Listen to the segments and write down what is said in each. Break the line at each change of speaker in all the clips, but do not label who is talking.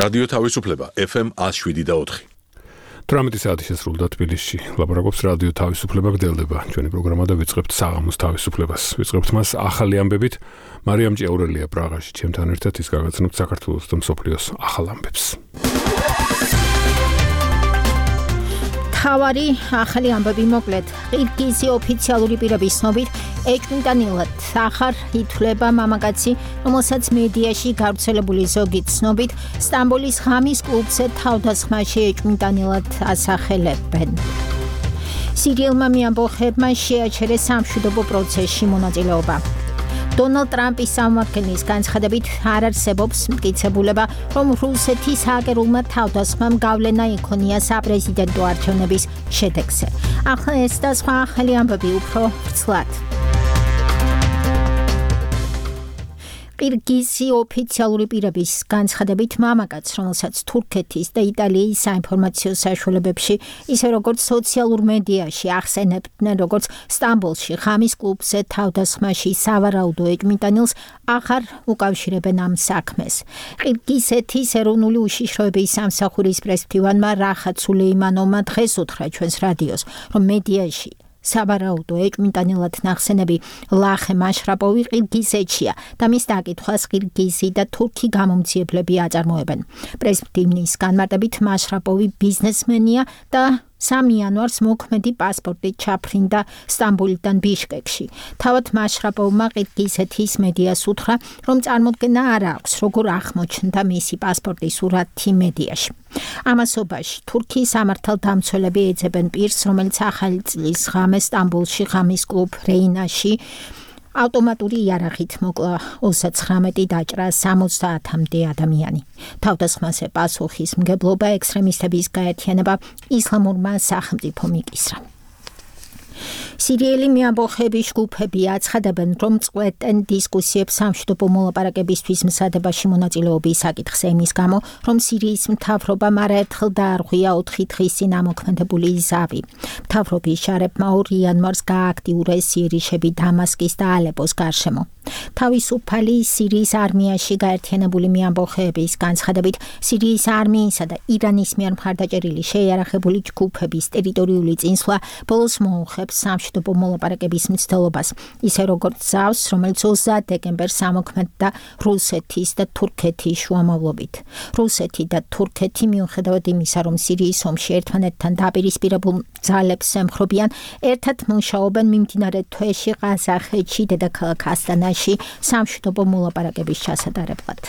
რადიო თავისუფლება FM 107.4.
18 საათი შესრულდა თბილისში. ლაპარაკობს რადიო თავისუფლება გდელდება. ჩვენი პროგრამა და ვიწყებთ საღამოს თავისუფლებას. ვიწყებთ მას ახალი ამბებით. მარიამ ჭიაურელია პრაღაში. ჩემთან ერთად ის გაგაცნობთ საქართველოს და მსოფლიოს ახალ ამბებს.
თავარი ახალი ამბები მოკლედ. ყირგიზი ოფიციალური პირების ცნობით ეჭვმიტანილად ახარ ითვლება მამაკაცი, რომელსაც მედიაში გავრცელებული ზოგი ცნობით სტამბოლის ღამის კლუბზე თავდასხმაში ეჭვმიტანილად ასახელებენ. სირიელმა მეამბოხებმა შეაჩერეს სამშვიდობო პროცესში მონაწილეობა. დონალდ ტრამპის სამმართველის განცხადებით არ არსებობს მტკიცებულება, რომ რუსეთის ჰაკერულმა თავდასხმამ გავლენა იქონია საპრეზიდენტო არჩევნების შედეგზე. ახლა ეს და სხვა ახალი ამბები უფრო ვრცლად. ყირგიზი ოფიციალური პირების განცხადებით მამაკაც, რომელსაც თურქეთის და იტალიის საინფორმაციო საშუალებებში, ისე როგორც სოციალურ მედიაში ახსენებდნენ, როგორც სტამბოლში ღამის კლუბზე თავდასხმაში სავარაუდო ეჭვმიტანილს აღარ უკავშირებენ ამ საქმეს. ყირგიზეთის ეროვნული უშიშროების სამსახურის პრესმდივანმა რახათ სულეიმანოვმა დღეს უთხრა ჩვენს რადიოს, რომ მედიაში სავარაუდო ეჭვმიტანილად ნახსენები ლახე მაშრაპოვი ყირგიზეთშია და მის დაკითხვას ყირგიზი და თურქი გამომძიებლები აწარმოებენ. პრესმდივნის განმარტებით მაშრაპოვი ბიზნესმენია და 3 იანვარს მოქმედი პასპორტით ჩაფრინდა სტამბოლიდან ბიშკეკში. თავად მაშრაპოვმა ყირგიზეთის მედიას უთხრა, რომ წარმოდგენა არ აქვს, როგორ აღმოჩნდა მისი პასპორტის სურათი მედიაში. ამასობაში თურქიის სამართალდამცველები ეძებენ პირს, რომელიც ახალი წლის ღამეს სტამბოლში ღამის კლუბ რეინაში ავტომატური იარაღით მოკლა 39 დაჭრა 70-მდე ადამიანი. თავდასხმაზე პასუხისმგებლობა ექსტრემისტების გაერთიანება ისლამურმა სახელმწიფომ იკისრა. სირიელი მეამბოხების ჯგუფები აცხადებენ, რომ წყვეტენ დისკუსიებს სამშვიდობო მოლაპარაკებისთვის მსადებაში მონაწილეობის საკითხზე იმის გამო, რომ სირიის მთავრობამ არაერთხელ დაარღვია 4 დღის წინ ამოქმედებული ზავი. მთავრობის შარებმა 2 იანვარს გააქტიურეს იერიშები დამასკის და ალეპოს გარშემო. თავისუფალი სირიის არმიაში გაერთიანებული მეამბოხეების განცხადებით, სირიის არმიისა და ირანის მიერ მხარდაჭერილი შეიარაღებული ჯგუფების ტერიტორიული წინსვლა ბოლოს მოუხებს სამშვიდობო მოლაპარაკების მცდელობას, ისე როგორც ზავს, რომელიც 30 დეკემბერს ამოქმედდა რუსეთის და თურქეთის შუამავლობით. რუსეთი და თურქეთი მიუხედავად იმისა, რომ სირიის ომში ერთმანეთთან დაპირისპირებულ ძალებს ემხრობიან, ერთად მუშაობენ მიმდინარე თვეში ყაზახეთში დედაქალაქ ასტანაში სამშვიდობო მოლაპარაკების ჩასატარებლად.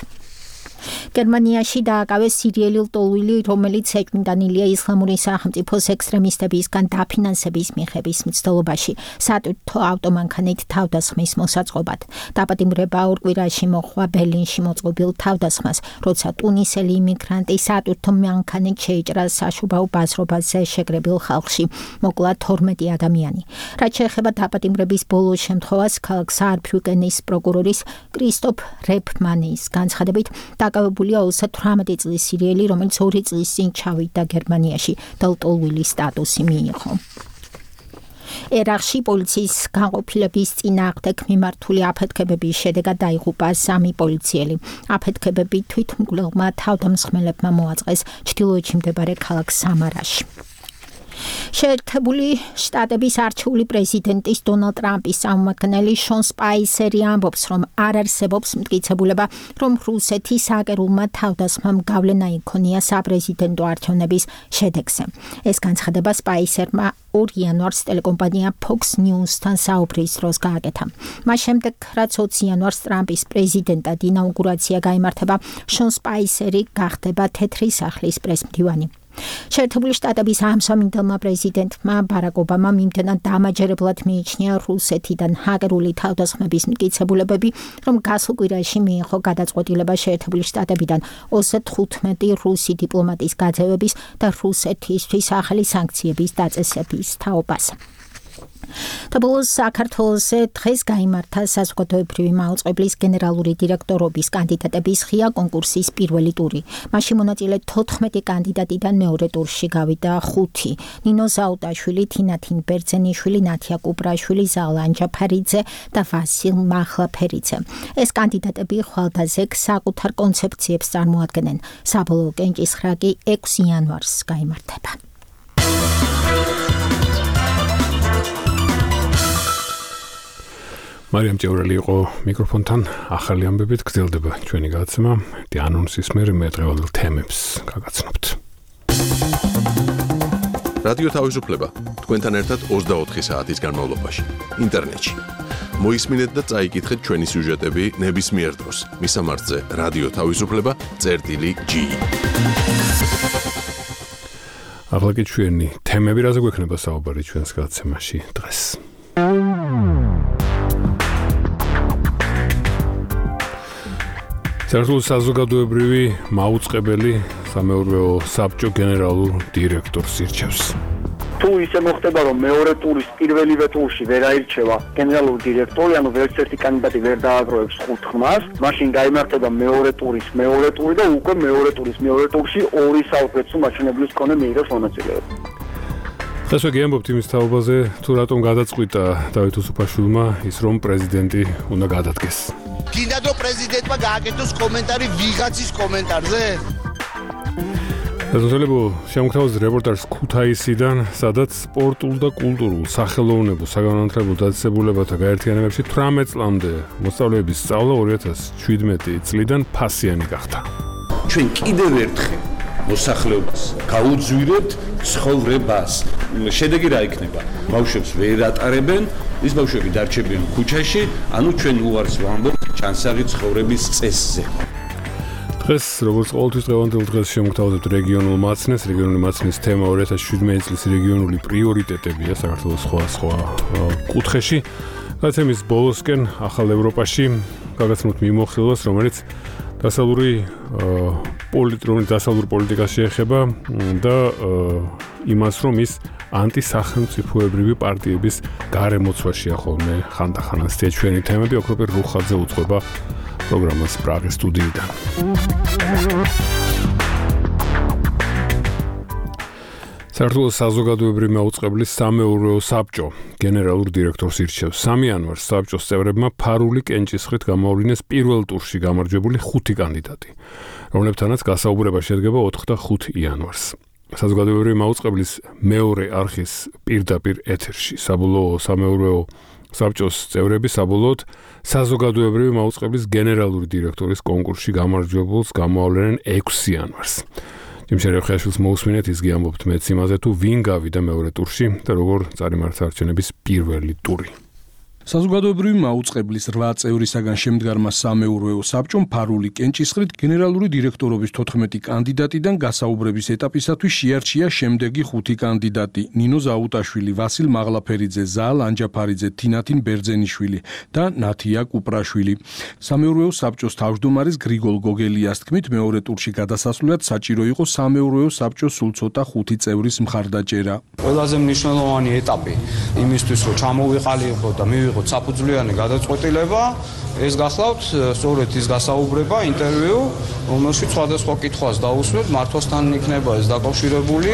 გერმანიაში დააკავეს სირიელი ლტოლვილი, რომელიც ეჭვმიტანილია ისლამური სახელმწიფოს ექსტრემისტებისგან დაფინანსების მიღების მცდელობაში სატვირთო ავტომანქანით თავდასხმის მოსაწყობად. დაპატიმრება 2 კვირაში მოხდა ბერლინში მოწყობილ თავდასხმას, როცა ტუნისელი იმიგრანტი სატვირთო მანქანით შეიჭრა საშუბაო ბაზრობაზე შეკრებილ ხალხში. მოკლა 12 ადამიანი. რაც შეეხება დაპატიმრების ბოლო შემთხვევას, ქალაქ საარბრუკენის პროკურორის კრისტოფ რეფმანის განცხადებით, დაკავებულია 38 წლის სირიელი, რომელიც 2 წლის წინ ჩავიდა გერმანიაში და ლტოლვილის სტატუსი მიიღო. ერაყში პოლიციის განყოფილების წინააღმდეგ მიმართული აფეთქებების შედეგად დაიღუპა 3 პოლიციელი. აფეთქებები თვითმკვლელმა თავდამსხმელებმა მოაწყეს ჩრდილოეთში მდებარე ქალაქ სამარაში. შეერთებული შტატების არჩეული პრეზიდენტის დონალდ ტრამპის წარმომადგენელი შონ სპაისერი ამბობს, რომ არ არსებობს მტკიცებულება, რომ რუსეთის ჰაკერულმა თავდასხმამ გავლენა იქონია საპრეზიდენტო არჩევნების შედეგზე. ეს განცხადება სპაისერმა 2 იანვარს ტელეკომპანია Fox News-თან საუბრის დროს გააკეთა. მას შემდეგ, რაც 20 იანვარს ტრამპის პრეზიდენტად ინაუგურაცია გაიმართება, შონ სპაისერი გახდება თეთრი სახლის პრესმდივანი. შეერთებული შტატების ამსამინდელმა პრეზიდენტმა ბარაკ ობამამ იმდენად დამაჯერებლად მიიჩნია რუსეთიდან ჰაკერული თავდასხმების მტკიცებულებები, რომ გასულ კვირაში მიიღო გადაწყვეტილება შეერთებული შტატებიდან 35 რუსი დიპლომატის გაძევების და რუსეთისთვის ახალი სანქციების დაწესების თაობას. Თბილისის საქართველოსზე დღეს გაიმართა საზოგადოებრივი მაუწყებლის გენერალური დირექტორობის კანდიდატების ღია კონკურსის პირველი ტური. მაშინ მონაწილე 14 კანდიდატიდან მეორე ტურში გავიდა 5. ნინო ზაუტაშვილი, თინათინ ბერძენიშვილი, ნათია კუპრაშვილი, ზალა ანჯაფარიძე და ვასილ მახლაფერიძე. ეს კანდიდატები ხვალდაზე საკუთარ კონცეფციებს წარმოადგენენ. საბოლოო კენჭისხრა კი 6 იანვარს გაიმართება.
მარიამ ჭევრელი იყო მიკროფონთან, ახალი ამბებით გრძელდება ჩვენი გადაცემა. ანონსის მერე მე დღევანდელ თემებს გაგაცნობთ.
რადიო თავისუფლება თქვენთან ერთად 24 საათის განმავლობაში ინტერნეტში. მოისმინეთ და წაიკითხეთ ჩვენი სიუჟეტები ნებისმიერ დროს. მისამართზე რადიო თავისუფლება.gi.
ახლა კი ჩვენი თემები, რაზე გვექნება საუბარი ჩვენს გადაცემაში დღეს. საქართველოს საზოგადოებრივი მაუწყებელი სამეურვეო საბჭო გენერალურ დირექტორს ირჩევს.
თუ ისე მოხდება, რომ მეორე ტურის პირველივე ტურში ვერ აირჩევა გენერალური დირექტორი, ანუ ვერც ერთი კანდიდატი ვერ დააგროვებს 5 ხმას, მაშინ გაიმართება მეორე ტურის მეორე ტური და უკვე მეორე ტურის მეორე ტურში 2 საუკეთესო მაჩვენებლის მქონე მიიღებს მონაწილეობა.
დღეს ვეგიამბობთ იმის თაობაზე, თუ რატომ გადაწყვიტა დავით უსუფაშვილმა ის, რომ პრეზიდენტი უნდა გადადგეს.
გინდათ რომ პრეზიდენტმა გააკეთოს კომენტარი ვიღაცის კომენტარზე?
საზოგადოებრივ შემოგთავაზეთ რეპორტაჟს ქუთაისიდან, სადაც სპორტულ და კულტურულ, სახელოვნებო, საგანმანათლებლო დაწესებულებათა გაერთიანებებში 18 წლამდე მოსწავლეების სწავლა 2017 წლიდან ფასიანი გახდა.
ჩვენ კიდევ ერთხელ მოსახლეობას გაუძვირებთ ცხოვრებას. შედეგი რა იქნება? ბავშვებს ვერ ატარებენ, ის ბავშვები დარჩებიან ქუჩაში, ანუ ჩვენ უარს ვამბობთ ჩანსაღი ცხოვრების წესზე.
დღეს როგორც ყოველთვის დღევანდელ დღეს შემოგთავაზებთ რეგიონულ მაცნეს. რეგიონული მაცნის თემა 2017 წლის რეგიონული პრიორიტეტებია საქართველოს სხვა კუთხეში. გადაცემის ბოლოსკენ ახალ ევროპაში გაგაცნობთ მიმოხილვას, რომელიც დასავლური პოლიტიკას შეეხება და იმას, რომ ის ანტისახელმწიფოებრივი პარტიების გარემოცვაშია ხოლმე ხანდახან. ასეთი ჩვენი თემები, ოქროპერ რუხაძე უწყობა პროგრამას პრაღის სტუდიიდან. საქართველოს საზოგადოებრივი მაუწყებლის სამეურვეო საბჭო გენერალურ დირექტორს ირჩევს. 3 იანვარს საბჭოს წევრებმა ფარული კენჭისხრით გამოავლინეს პირველ ტურში გამარჯვებული 5 კანდიდატი, რომლებთანაც გასაუბრება შედგება 4 და 5 იანვარს. საზოგადოებრივი მაუწყებლის მეორე არხის პირდაპირ ეთერში საბოლოო სამეურვეო საბჭოს წევრები საბოლოოდ საზოგადოებრივი მაუწყებლის გენერალური დირექტორის კონკურსში გამარჯვებულს გამოავლენენ 6 იანვარს. ჯიმშერეხაშვილს მოусმინეთ, ის გიამბობთ მეც იმაზე, თუ ვინ გავიდა მეორე ტურში და როგორ წარიმართა არჩევნების პირველი ტური.
საზოგადოებრივი მაუწყებლის 8 წევრისაგან შემდგარმა სამეურვეო საბჭომ ფარული კენჭისხრით გენერალური დირექტორობის 14 კანდიდატიდან გასაუბრების ეტაპისათვის შეარჩია შემდეგი 5 კანდიდატი: ნინო ზაუტაშვილი, ვასილ მაღლაფერიძე, ზალა ანჯაფარიძე, თინათინ ბერძენიშვილი და ნათია კუპრაშვილი. სამეურვეო საბჭოს თავმჯდომარის გრიგოლ გოგელიას თქმით, მეორე ტურში გადასასვლელად საჭირო იყო სამეურვეო საბჭოს სულ ცოტა 5 წევრის მხარდაჭერა.
ყველაზე მნიშვნელოვანი ეტაპი იმისთვის, რომ ჩამოვიყალიყო და მივიღოთ საფუძვლიანი გადაწყვეტილება, ეს გახლავთ სწორედ ის გასაუბრება, ინტერვიუ, რომელშიც სხვადასხვა კითხვას დაუსვეთ, მართვასთან იქნება ეს დაკავშირებული,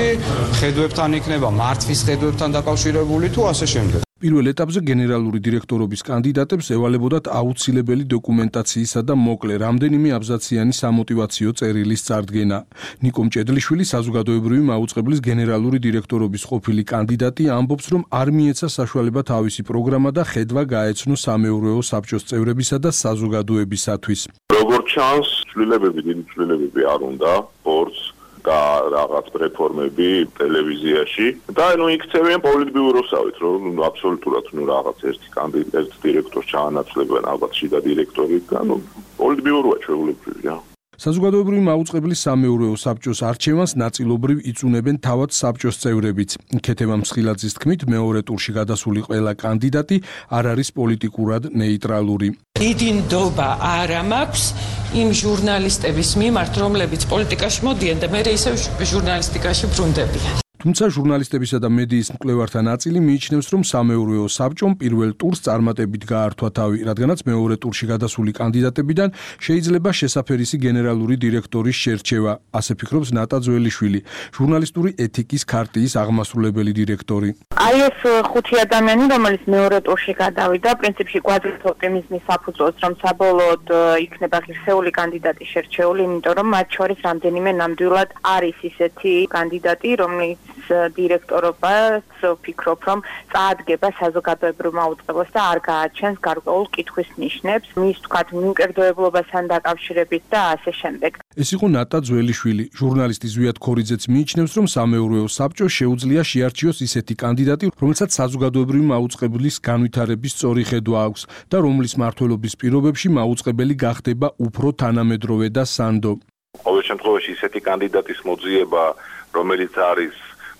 ხედვებთან იქნება, მართვის ხედვებთან დაკავშირებული თუ ასე შემდეგ.
პირველ ეტაპზე გენერალური დირექტორობის კანდიდატებს ევალებოდათ აუცილებელი დოკუმენტაციისა და მოკლე რამდენიმე აბზაციანი სამოტივაციო წერილის წარდგენა. ნიკო მჭედლიშვილი, საზოგადოებრივი მაუწყებლის გენერალური დირექტორობის ყოფილი კანდიდატი, ამბობს, რომ არ მიეცა საშუალება თავისი პროგრამა და ხედვა გაეცნო სამეურვეო საბჭოს წევრებისა და საზოგადოებისათვის.
როგორც ჩანს, დიდი ცვლილებები არ უნდა სპორტს და რაღაც რეფორმები ტელევიზიაში და იქცევიან პოლიტბიუროსავით, რომ აბსოლუტურად რაღაც ერთი კანდიდატ დირექტორს ჩაანაცვლებენ ალბათ შიდა დირექტორი და პოლიტბიუროა ჩვეულებრივია.
საზოგადოებრივი მაუწყებლის სამეურვეო საბჭოს არჩევანს ნაწილობრივ იწუნებენ თავად საბჭოს წევრებიც. ქეთევა მსხილაძის თქმით, მეორე ტურში გადასული ყველა კანდიდატი არ არის პოლიტიკურად ნეიტრალური.
დიდი ნდობა არ მაქვს იმ ჟურნალისტების მიმართ, რომლებიც პოლიტიკაში მოდიან და მე ისევ ჟურნალისტიკაში ბრუნდებიან.
თუმცა ჟურნალისტებისა და მედიის მკვლევართა ნაწილი მიიჩნევს, რომ სამეურვეო საბჭომ პირველ ტურს წარმატებით გაართვა თავი, რადგანაც მეორე ტურში გადასული კანდიდატებიდან შეიძლება შესაფერისი გენერალური დირექტორის შერჩევა, ასე ფიქრობს ნატა ძველიშვილი, ჟურნალისტური ეთიკის ქარტიის აღმასრულებელი დირექტორი.
Აი ეს ხუთი ადამიანი, რომელიც მეორე ტურში გადავიდა, პრინციპში გვაძლევს ოპტიმიზმის საფუძველს, რომ საბოლოოდ იქნება ღირსეული კანდიდატი შერჩეული, იმიტომ რომ მათ შორის რამდენიმე ნამდვილად არის ისეთი კანდიდატი, რომელიც დირექტორობას ვფიქრობ, რომ წაადგება საზოგადოებრივ მაუწყებლობას და არ გააჩენს გარკვეულ კითხვის ნიშნებს, მის თქვათ მიუკერდოებლობასთან დაკავშირებით და ასე შემდეგ.
ეს იყო ნატა ძველიშვილი, ჟურნალისტი ზვიად ქორიძეც მიიჩნევს, რომ სამეურვეო საბჭოს შეუძლია შეარჩიოს ისეთი კანდიდატი, რომელსაც საზოგადოებრივი მაუწყებლის განვითარების სწორი ხედვა აქვს და რომლის მმართველობის პირობებში მაუწყებელი გახდება უფრო თანამედროვე და სანდო.
ყოველ შემთხვევაში ისეთი კანდიდატის მოძიება, რომელიც არის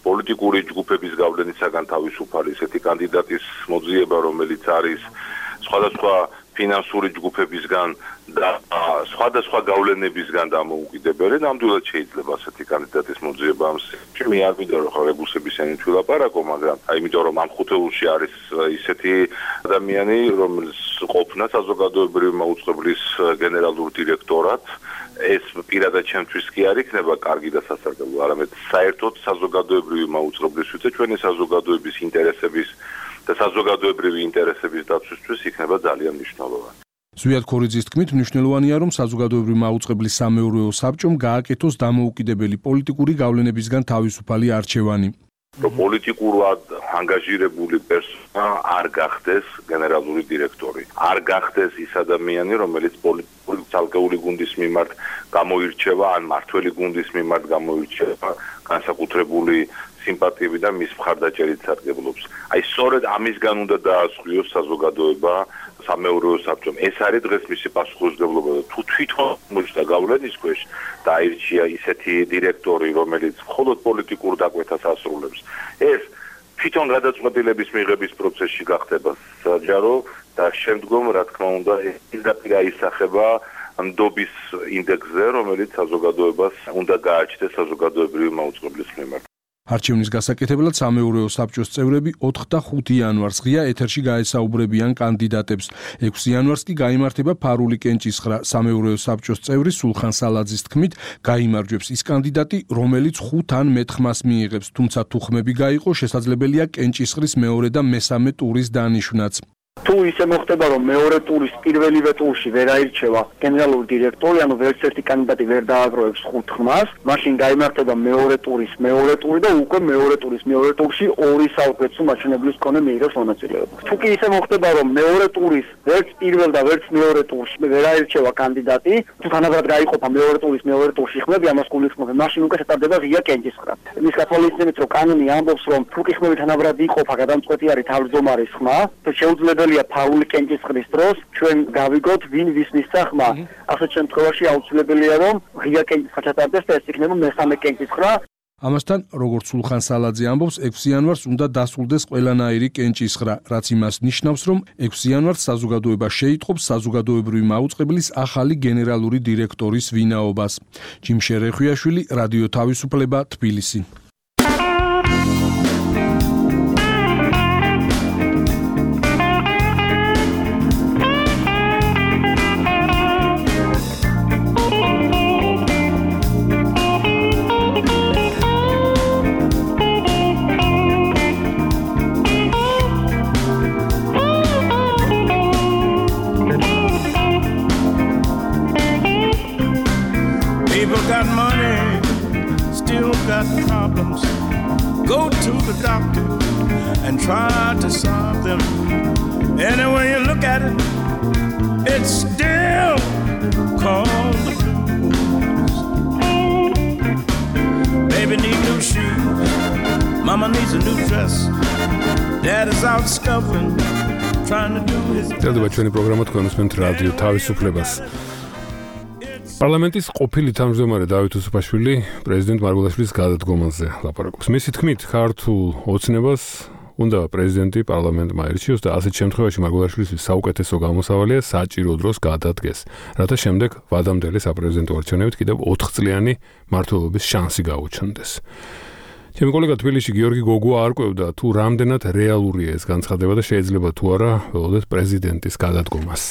პოლიტიკური ჯგუფების გავლენისაგან თავისუფალი, ისეთი კანდიდატის მოძიება, რომელიც არის სხვადასხვა ფინანსური ჯგუფებისგან და სხვადასხვა გავლენებისგან დამოუკიდებელი, ნამდვილად შეიძლება ასეთი კანდიდატის მოძიება. მე არ მინდა რომ ხალხების ენით ვილაპარაკო, მაგრამ იმიტომ რომ ამ ხუთეულში არის ისეთი ადამიანი, რომელიც ყოფნა საზოგადოებრივი მაუწყებლის გენერალურ დირექტორად, ეს პირადად ჩემთვის კი არ იქნება კარგი და სასარგებლო, არამედ საერთოდ საზოგადოებრივი მაუწყებლისთვის და ჩვენი საზოგადოების ინტერესების და საზოგადოებრივი ინტერესების დაცვისთვის იქნება ძალიან მნიშვნელოვანი.
ზვიად ქორიძის თქმით, მნიშვნელოვანია, რომ საზოგადოებრივი მაუწყებლის სამეურვეო საბჭომ გააკეთოს დამოუკიდებელი პოლიტიკური გავლენებისგან თავისუფალი არჩევანი.
რომ პოლიტიკურად ანგაჟირებული პერსონა არ გახდეს გენერალური დირექტორი. არ გახდეს ის ადამიანი, რომელიც პოლიტიკური ცალკეული გუნდის მიმართ გამოირჩევა, ან მმართველი გუნდის მიმართ გამოირჩევა განსაკუთრებული სიმპათიები და მის მხარდაჭერით სარგებლობს. აი სწორედ ამისგან უნდა დაასხვიოს საზოგადოება სამეურვეო საბჭომ. ეს არის დღეს მისი პასუხისმგებლობა და თუ თვითონ მოჭდა გავლენის ქვეშ და აირჩია ისეთი დირექტორი, რომელიც მხოლოდ პოლიტიკურ დაკვეთას ასრულებს, ეს თვითონ გადაწყვეტილების მიღების პროცესში გახდება საჯარო და შემდგომ, რა თქმა უნდა, პირდაპირ აისახება ნდობის ინდექსზე, რომელიც საზოგადოებას უნდა გააჩნდეს საზოგადოებრივი მაუწყებლის მიმართ.
არჩევნის გასაკეთებლად სამეურვეო საბჭოს წევრები 4 და 5 იანვარს ღია ეთერში გაესაუბრებიან კანდიდატებს. 6 იანვარს კი გაიმართება ფარული კენჭისხრა. სამეურვეო საბჭოს წევრი სულხან სალაძის თქმით, გაიმარჯვებს ის კანდიდატი, რომელიც 5 ან მეტ ხმას მიიღებს, თუმცა თუ ხმები გაიყო, შესაძლებელია კენჭისხრის მეორე და მესამე ტურის დანიშვნაც.
თუ ისე მოხდება, რომ მეორე ტურის პირველივე ტურში ვერ აირჩევა გენერალური დირექტორი, ანუ ვერც ერთი კანდიდატი ვერ დააგროვებს 5 ხმას, მაშინ გაიმართება მეორე ტურის მეორე ტური და უკვე მეორე ტურის მეორე ტურში ორი საუკეთესო მაჩვენებლის მქონე მიიღებს მონაწილეობა. თუ კი ისე მოხდება, რომ მეორე ტურის ვერც პირველ და ვერც მეორე ტურში ვერ აირჩევა კანდიდატი, თუ თანაბრად გაიყოფა მეორე ტურის მეორე ტურში ხმები, ამას გულისხმობ, მაშინ უკვე შეტარდება ღია კენჭისხრა. მის გათვალისწინებით, რომ კანონი ამბობს, რომ თუ კი ხმები თანაბრად იყოფა, გადამწყვეტი არის თავმჯდომარის ხმა, და შეუძლებელია ფარული კენჭისყრის დროს ჩვენ გავიგოთ ვინ ვის მისცა ხმა. ასეთ შემთხვევაში აუცილებელია რომ ღია კენჭისყრა ჩატარდეს და ეს იქნება მესამე კენჭისყრა.
ამასთან, როგორც სულხან სალაძე ამბობს, 6 იანვარს უნდა დასრულდეს ყველანაირი კენჭისყრა, რაც იმას ნიშნავს, რომ 6 იანვარს საზოგადოება შეიტყობს საზოგადოებრივი მაუწყებლის ახალი გენერალური დირექტორის ვინაობას. ჯიმშე რეხვიაშვილი, რადიო თავისუფლება, თბილისი.
წერდება ჩვენი პროგრამა თქვენ უსმენთ რადიო თავისუფლებას. პარლამენტის ყოფილი თავმჯდომარე დავით უსუფაშვილი პრეზიდენტ მარგველაშვილის გადადგომაზე ლაპარაკობს. მისი თქმით, ქართულ ოცნებას უნდა პრეზიდენტი პარლამენტმა აირჩიოს და ასეთ შემთხვევაში მარგველაშვილის საუკეთესო გამოსავალია საჭირო დროს გადადგეს, რათა შემდეგ ვადამდელი საპრეზიდენტო არჩევნებით კიდევ 4 წლიანი მმართველობის შანსი გაუჩნდეს. ჩემი კოლეგა თბილისში გიორგი გოგუა არ ყვევდა თუ რამდენად რეალურია ეს განცხადება და შეიძლება თუ არა ველოდეთ პრეზიდენტის გადადგომას.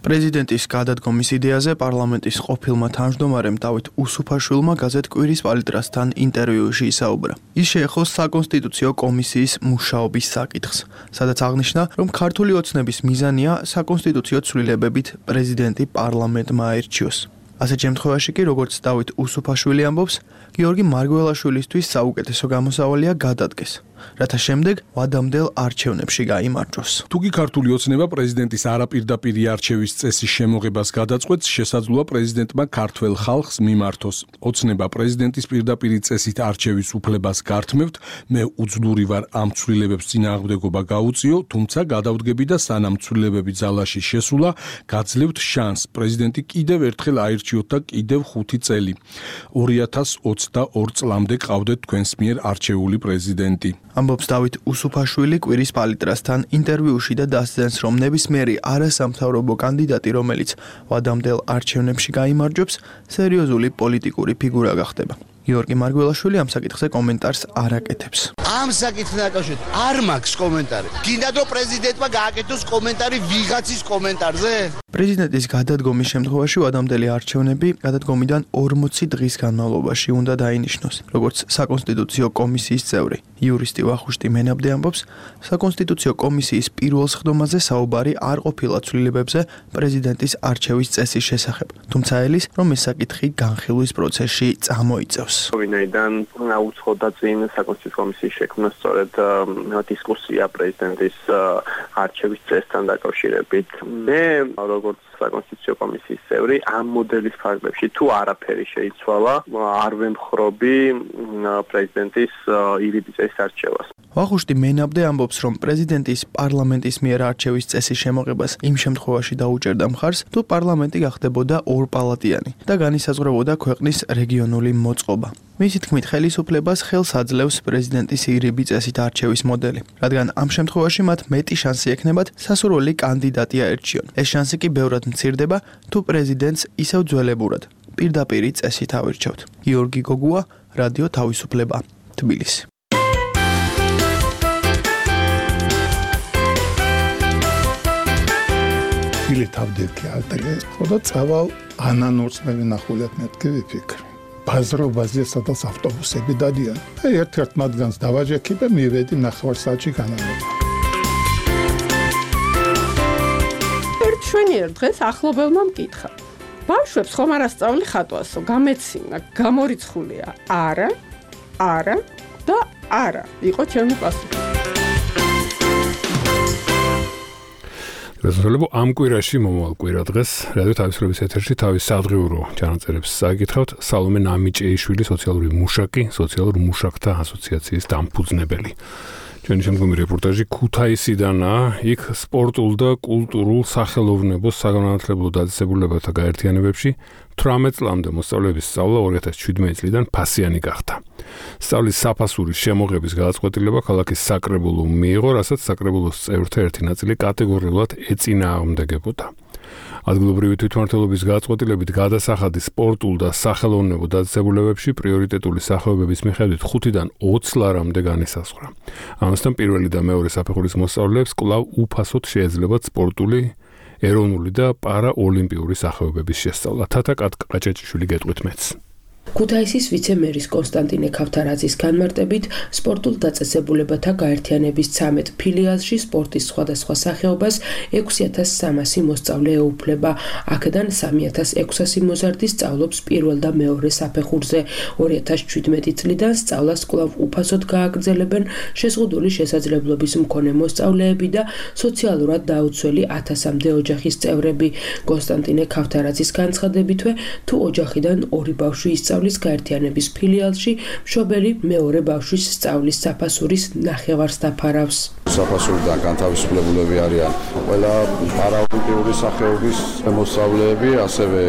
პრეზიდენტის გადადგომის იდეაზე პარლამენტის ყოფილმა თავმჯდომარემ დავით უსუფაშვილმა გაზეთ კვირის პალიტრასთან ინტერვიუში ისაუბრა. ის შეეხოს საკონსტიტუციო კომისიის მუშაობის საკითხს, სადაც აღნიშნა, რომ ქართული ოცნების მიზანია საკონსტიტუციო ცვლილებებით პრეზიდენტი პარლამენტმა აირჩიოს. ასეთ შემთხვევაში კი, როგორც დავით უსუფაშვილი ამბობს, გიორგი მარგველაშვილისთვის საუკეთესო გამოსავალია გადადგეს, რათა შემდეგ ვადამდელ არჩევნებში გაიმარჯვოს.
თუკი ქართული ოცნება პრეზიდენტის არაპირდაპირი არჩევის წესის შემოღებას გადაწყვეტს, შესაძლოა პრეზიდენტმა ქართველ ხალხს მიმართოს. ოცნება პრეზიდენტის პირდაპირი წესით არჩევის უფლებას გართმევთ, მე უძლური ვარ ამ ცვლილებებს წინააღმდეგობა გაუწიო, თუმცა გადავდგები და სანამ ცვლილებები ძალაში შესულა, გაძლევთ შანსს პრეზიდენტი კიდევ ერთხელ აირჩიოთ და კიდევ 5 წელი. 2022 წლამდე ყავდეთ თქვენს მიერ არჩეული პრეზიდენტი.
ამბობს დავით უსუფაშვილი კვირის პალიტრასთან ინტერვიუში და დასძენს, რომ ნებისმიერი არასამთავრობო კანდიდატი, რომელიც ვადამდელ არჩევნებში გაიმარჯვებს, სერიოზული პოლიტიკური ფიგურა გახდება. გიორგი მარგველაშვილი ამ საკითხზე კომენტარს არ აკეთებს.
ამ საკითხთან დაკავშირებით არ მაქვს კომენტარი. გინდათ რომ პრეზიდენტმა გააკეთოს კომენტარი ვიღაცის კომენტარზე?
პრეზიდენტის გადადგომის შემთხვევაში ვადამდელი არჩევნები გადადგომიდან 40 დღის განმავლობაში უნდა დაინიშნოს. როგორც საკონსტიტუციო კომისიის წევრი იურისტი ვახუშტი მენაბდე ამბობს, საკონსტიტუციო კომისიის პირველ სხდომაზე საუბარი არ ყოფილა ცვლილებებზე პრეზიდენტის არჩევის წესის შესახებ. თუმცა ელის, რომ ეს საკითხი განხილვის პროცესში წამოიწევს.
ვინაიდან უცხოდა წინ საკონსტიტუციო კომისიის შექმნა სწორედ დისკუსია პრეზიდენტის არჩევის წესთან დაკავშირებით. მე როგორც საკონსტიტუციო კომისიის წევრი ამ მოდელის ფარგლებში თუ არაფერი შეიცვალა, არ ვემხრობი პრეზიდენტის ირიბი წესის არჩევას.
ვახუშტი მენაბდე ამბობს, რომ პრეზიდენტის პარლამენტის მიერ არჩევის წესის შემოღებას იმ შემთხვევაში დაუჭერდა მხარს, თუ პარლამენტი გახდებოდა ორპალატიანი და განისაზღვრებოდა ქვეყნის რეგიონული მოწყობა. მისი თქმით, ხელისუფლებას ხელს აძლევს პრეზიდენტის ირიბი წესით არჩევის მოდელი, რადგან ამ შემთხვევაში მათ მეტი შანსი ექნებათ სასურველი კანდიდატი აერჩიონ. ეს შანსი კი ბევრად მცირდება, თუ პრეზიდენტს ისევ ძველებურად პირდაპირი წესით ავირჩევთ. გიორგი გოგუა, რადიო თავისუფლება, თბილისი.
თავდექი ალტრიეს, ხოდა წავალ ანანურწმები ნახულეთ მეთქი ვიფიქრე. ბაზრობაზე სადაც ავტობუსები დადიან. და ერთ-ერთ მათგანს დავაჯექი და მივედი ნახევარსაათში განამება.
ერთ შვენიერ დღეს ახლობელმა მკითხა. ბავშვებს ხომ არ ასწავლი ხატვასო, გამეცინა, გამორიცხულია? არა, არა და არა. იყო ჩემი პასუხი.
გასასრულებო ამ კვირაში მომავალ კვირა დღეს რადიო თავისუფლების ეთერში თავის სადღიურო ჩანაწერებს საკითხავთ სალომე ნამიჭეიშვილი სოციალური მუშაკი, სოციალურ მუშაკთა ასოციაციის დამფუძნებელი. ჩვენი შემდგომი რეპორტაჟი ქუთაისიდანაა, იქ სპორტულ და კულტურულ სახელოვნებო საგანმანათლებლო დაწესებულებათა გაერთიანებებში 18 წლამდე მოსწავლეების სწავლა 2017 წლიდან ფასიანი გახდა. სწავლის საფასურის შემოღების გადაწყვეტილება ქალაქის საკრებულომ მიიღო, რასაც საკრებულოს წევრთა ერთი ნაწილი კატეგორიულად ეწინააღმდეგებოდა. ადგილობრივი თვითმმართველობის გადაწყვეტილებით გადასახადი სპორტულ და სახელოვნებო დაწესებულებებში პრიორიტეტული სახეობების მიხედვით 5-დან 20 ლარამდე განისაზღვრა. ამასთან პირველი და მეორე საფეხურის მოსწავლეებს კვლავ უფასოდ შეეძლებათ სპორტული, ეროვნული და პარაოლიმპიური სახეობების შესწავლა. თათა ყაჭაჭიშვილი გეტყვით მეც.
ქუთაისის ვიცე-მერის კონსტანტინე ქავთარაძის განმარტებით, სპორტულ დაწესებულებათა გაერთიანების 13 ფილიალში სპორტის სხვადასხვა სახეობას 6300 მოსწავლე ეუფლება. აქედან 3600 მოზარდი სწავლობს პირველ და მეორე საფეხურზე. 2017 წლიდან სწავლას კვლავ უფასოდ გააგრძელებენ შეზღუდული შესაძლებლობის მქონე მოსწავლეები და სოციალურად დაუცველი 1000-მდე ოჯახის წევრები. კონსტანტინე ქავთარაძის განცხადებითვე, თუ ოჯახიდან ორი ბავშვი ისწავლის გაერთიანების ფილიალში, მშობელი მეორე ბავშვის სწავლის საფასურის ნახევარს დაფარავს.
საფასურიდან განთავისუფლებულები არიან ყველა პარაოლიმპიური სახეობის მოსწავლეები, ასევე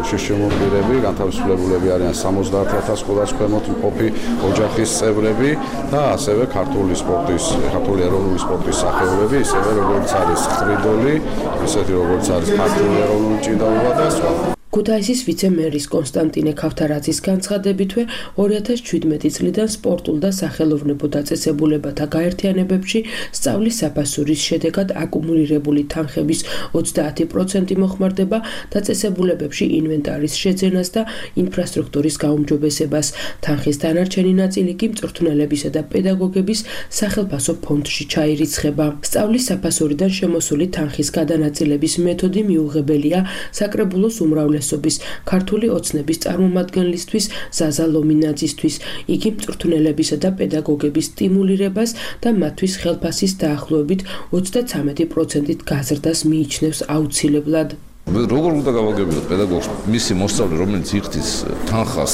შიშიმონტირები, განთავისუფლებულები არიან 70000 სკოლას ქვემოთ მყოფი ოჯახის წევრები და ასევე ქართული ეროვნული სპორტის სახეობები, ისევე როგორც არის ხრიდოლი, ისეთი როგორც არის ქართული ეროვნული ჭიდაობა და სხვა.
ქუთაისის ვიცე-მერის კონსტანტინე ქავთარაძის განცხადებითვე 2017 წლიდან სპორტულ და სახელოვნებო დაწესებულებათა გაერთიანებებში სწავლის საფასურის შედეგად აკუმულირებული თანხების 30% მოხმარდება დაწესებულებებში ინვენტარის შეძენას და ინფრასტრუქტურის გაუმჯობესებას. თანხის დანარჩენი ნაწილი კი მწვრთნელებისა და პედაგოგების სახელფასო ფონდში ჩაირიცხება. სწავლის საფასურიდან შემოსული თანხის გადანაწილების მეთოდი მიუღებელია საკრებულოს უმრავლესობის ქართული ოცნების წარმომადგენლისთვის ზაზა ლომინაძისთვის. იგი მწვრთნელებისა და პედაგოგების სტიმულირებას და მათთვის ხელფასის დაახლოებით 33%-ით გაზრდას მიიჩნევს აუცილებლად.
როგორ უნდა გავაგებინოთ პედაგოგს მისი მოსწავლე რომელიც იხდის თანხას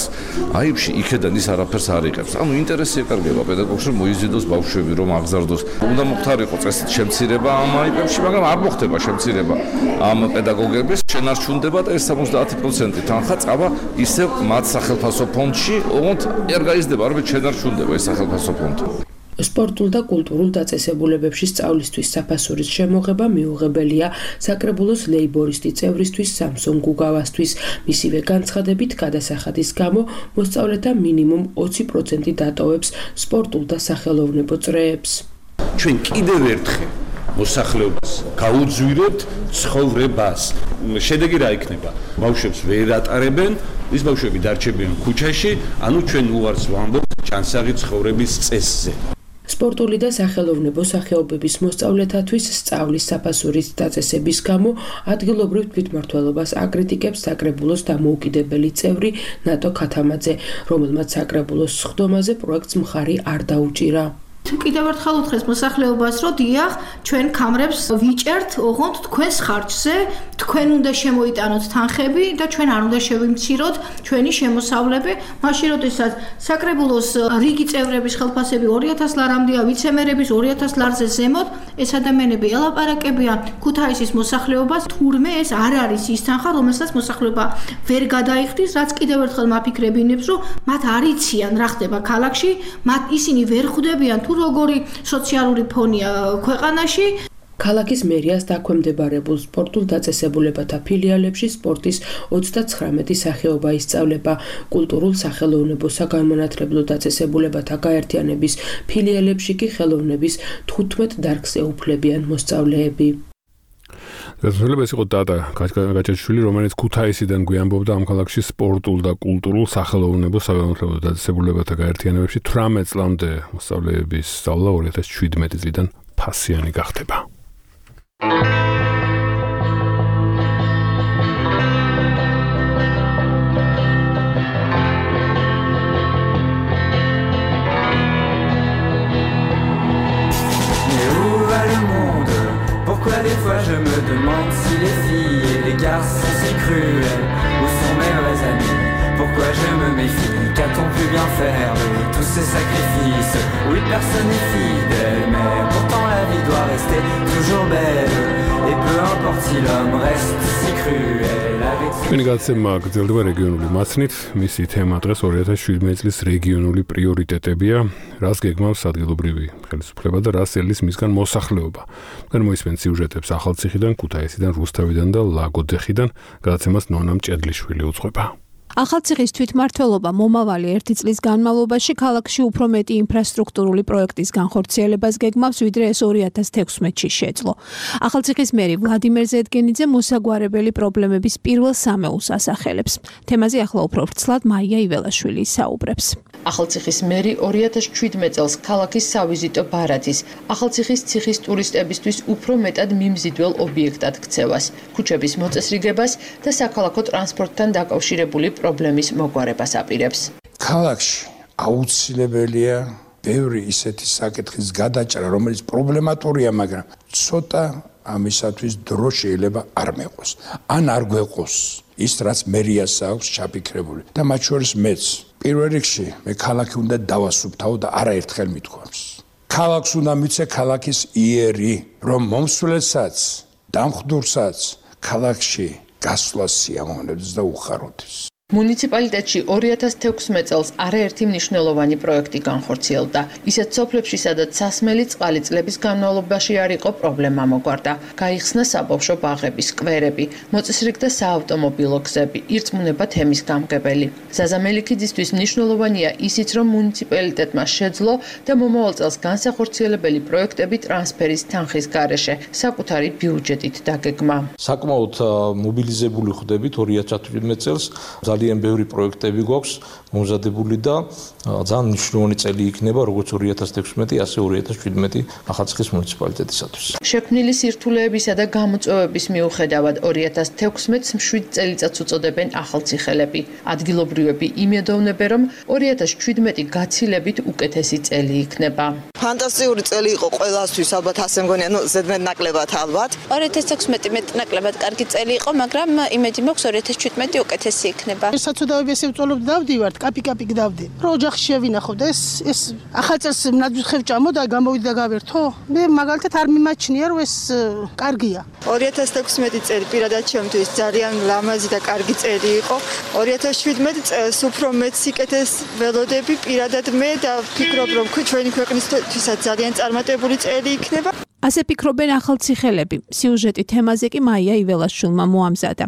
აიბში იქედან ის არაფერს არ იღებს. ანუ ინტერესი ეკარგება პედაგოგს რომ მოიზიდოს ბავშვები რომ აღზარდოს. უნდა მოხდარიყო წესით შემცირება ამ აიბებში, მაგრამ არ მოხდება შემცირება ამ პედაგოგების. შენ არ ჩუნდება და ეს 70% თანხა წავა ისევ მათ სახელფასო ფონდში, ოღონდ არ გაიზრდება, არამედ შენ არ ჩუნდება ეს სახელფასო ფონდი.
სპორტულ და კულტურულ დაწესებულებებში სწავლისთვის საფასურის შემოღება მიუღებელია საკრებულოს ლეიბორისტი წევრისთვის სამსონ გუგავასთვის. მისივე განცხადებით გადასახადის გამო მოსწავლეთა მინიმუმ 20% დატოვებს სპორტულ და სახელოვნებო წრეებს.
ჩვენ კიდევ ერთხელ მოსახლეობას გაუძვირებთ ცხოვრებას. შედეგი რა იქნება? ბავშვებს ვერ ატარებენ, ის ბავშვები დარჩებიან ქუჩაში, ანუ ჩვენ უარს ვამბობთ ჭანსაღი ცხოვრების წესზე.
სპორტული და სახელოვნებო სახეობების მოსწავლეთათვის სწავლის საფასურის დაწესების გამო ადგილობრივ თვითმმართველობას აკრიტიკებს საკრებულოს დამოუკიდებელი წევრი ნატო ქათამაძე, რომელმაც საკრებულოს სხდომაზე პროექტს მხარი არ დაუჭირა.
კიდევ ერთხელ უთხრეს მოსახლეობას, რომ დიახ, ჩვენ კამრებს ვიჭერთ, ოღონდ თქვენს ხარჯზე, თქვენ უნდა შემოიტანოთ თანხები და ჩვენ არ უნდა შევიმციროთ ჩვენი შემოსავლები. მაშინ როდესაც საკრებულოს რიგი წევრების ხელფასები 2000 ლარამდეა, ვიცემერების 2000 ლარზე ზემოთ, ეს ადამიანები ელაპარაკებიან ქუთაისის მოსახლეობას, თურმე ეს არ არის ის თანხა, რომელსაც მოსახლეობა ვერ გადაიხდის, რაც კიდევ ერთხელ მაფიქრებინებს, რომ მათ არ იციან რა ხდება ქალაქში, მათ ისინი ვერ ხვდებიან თუ როგორი სოციალური ფონია ქვეყანაში.
ქალაქის მერიას დაქვემდებარებულ სპორტულ დაწესებულებათა ფილიალებში სპორტის 39 სახეობა ისწავლება. კულტურულ სახელოვნებო საგანმანათლებლო დაწესებულებათა გაერთიანების ფილიალებში კი ხელოვნების 15 დარგს ეუფლებიან მოსწავლეები.
გასულებას იყო დატა გაჭაშვილი, რომელიც ქუთაისიდან გვიამბობდა ამ ქალაქში სპორტულ და კულტურულ სახელოვნებო საგანმანათლებლო დაწესებულებათა გაერთიანებებში 18 წლამდე მოსწავლეების სწავლა 2017 წლიდან ფასიანი გახდება.
Pourquoi des fois je me demande si les filles et les garçons si cruels, où sont mes vrais amis? Pourquoi je me méfie? Qu'a-t-on pu bien faire de tous ces sacrifices? Oui, personne n'est fidèle, mais pourtant la vie doit rester toujours belle. Et peu importe si l'homme reste si cruel avec ses...
Ჩვენი გაცემა გრძელდება რეგიონული მასნით. მისი თემა დღეს 2017 წლის რეგიონული პრიორიტეტებია, რას გეგმავს ადგილობრივი ხელისუფლება და რას ელის მისგან მოსახლეობა. თქვენ მოისმენთ სიუჟეტებს ახალციხიდან, ქუთაისიდან, რუსთავიდან და ლაგოდეხიდან. გაცემას ნონა მჭედლიშვილი უძღვება.
ახალციხის თვითმმართველობა მომავალი 1 წლის განმავლობაში ქალაქში უფრო მეტი ინფრასტრუქტურული პროექტის განხორციელებას გეგმავს, ვიდრე ეს 2016-ში შეძლო. ახალციხის მერი ვლადიმერ ზედგენიძე მოსაგვარებელი პრობლემების პირველ სამეულს ასახელებს. თემაზე ახლა უფრო ვრცლად მაია იველაშვილი საუბრებს.
ახალციხის მერი 2017 წელს ქალაქის სავიზიტო ბარათის, ახალციხის ციხის ტურისტებისთვის უფრო მეტად მიმზიდველ ობიექტად ქცევას, ქუჩების მოწესრიგებას და საქალაქო ტრანსპორტთან დაკავშირებული პრობლემის მოგვარებას აპირებს.
ქალაქში აუცილებელია ბევრი ისეთი საკითხის გადაჭრა, რომელიც პრობლემატურია, მაგრამ ცოტა ამისათვის დრო შეიძლება არ მეყოს. ან არ გვეყოს ის, რაც მერიას აქვს ჩაფიქრებული და მათ შორის მეც. პირველ რიგში მე ქალაქი უნდა დავასუფთავო და არაერთხელ მithქვამს. ქალაქს უნდა მიცე ქალაქის იერი, რომ მომსვლელსაც, დამხდურსაც ქალაქში გასვლა სიამოვნებს და უხაროდეს.
მუნიციპალიტეტში 2016 წელს არაერთი მნიშვნელოვანი პროექტი განხორციელდა. ისეთ სოფლებში, სადაც სასმელი წყალი წლების განმავლობაში არ იყო პრობლემა მოგვარდა. გაიხსნა საბავშვო ბაღები, სკვერები, მოწესრიგდა საავტომობილო გზები, ირწმუნება თემის გამგებელი. ზაზა მელიქიძისთვის მნიშვნელოვანია ისიც, რომ მუნიციპალიტეტმა შეძლო და მომავალ წელს განსახორციელებელი პროექტები ტრანსფერის თანხის გარეშე საკუთარი ბიუჯეტით დაგეგმა.
საკმაოდ მობილიზებული ხდებით 2017 წელს. ძალიან ბევრი პროექტები გვაქვს მომზადებული და ძალიან მნიშვნელოვანი წელი იქნება როგორც 2016, ასე 2017 ახალციხის მუნიციპალიტეტისათვის.
შექმნილი სირთულეებისა და გამოწვევების მიუხედავად 2016-ს 7 წელიწადს უწოდებენ ახალციხელები. ადგილობრივები იმედოვნებენ, რომ 2017 გაცილებით უკეთესი წელი იქნება.
ფანტასტიკური წელი იყო ყველასთვის, ალბათ ასე მგონია, ზედმეტ ნაკლებად ალბათ.
2016 მეტ-ნაკლებად კარგი წელი იყო, მაგრამ იმედი მაქვს 2017 უკეთესი იქნება.
საცოდავების ევწოლობ დავდივართ, კაპი-კაპი დავდი. რო ოჯახში შევინახოთ, ეს ახალ წელს ნაძვის ხევ ჭამოდა, გამოვიდა და გავერთო. მე მაგალითად არ მიმაჩნია, რომ ეს კარგია.
2016 წელი პირადად ჩემთვის ძალიან ლამაზი და კარგი წელი იყო. 2017 წელს უფრო მეც სიკეთეს ველოდები პირადად მე და ვფიქრობ, რომ ჩვენი ქვეყნისთვისაც ძალიან წარმატებული წელი იქნება.
ასე ფიქრობენ ახალციხელები. სიუჟეტი თემაზე კი მაია იველაშვილმა მოამზადა.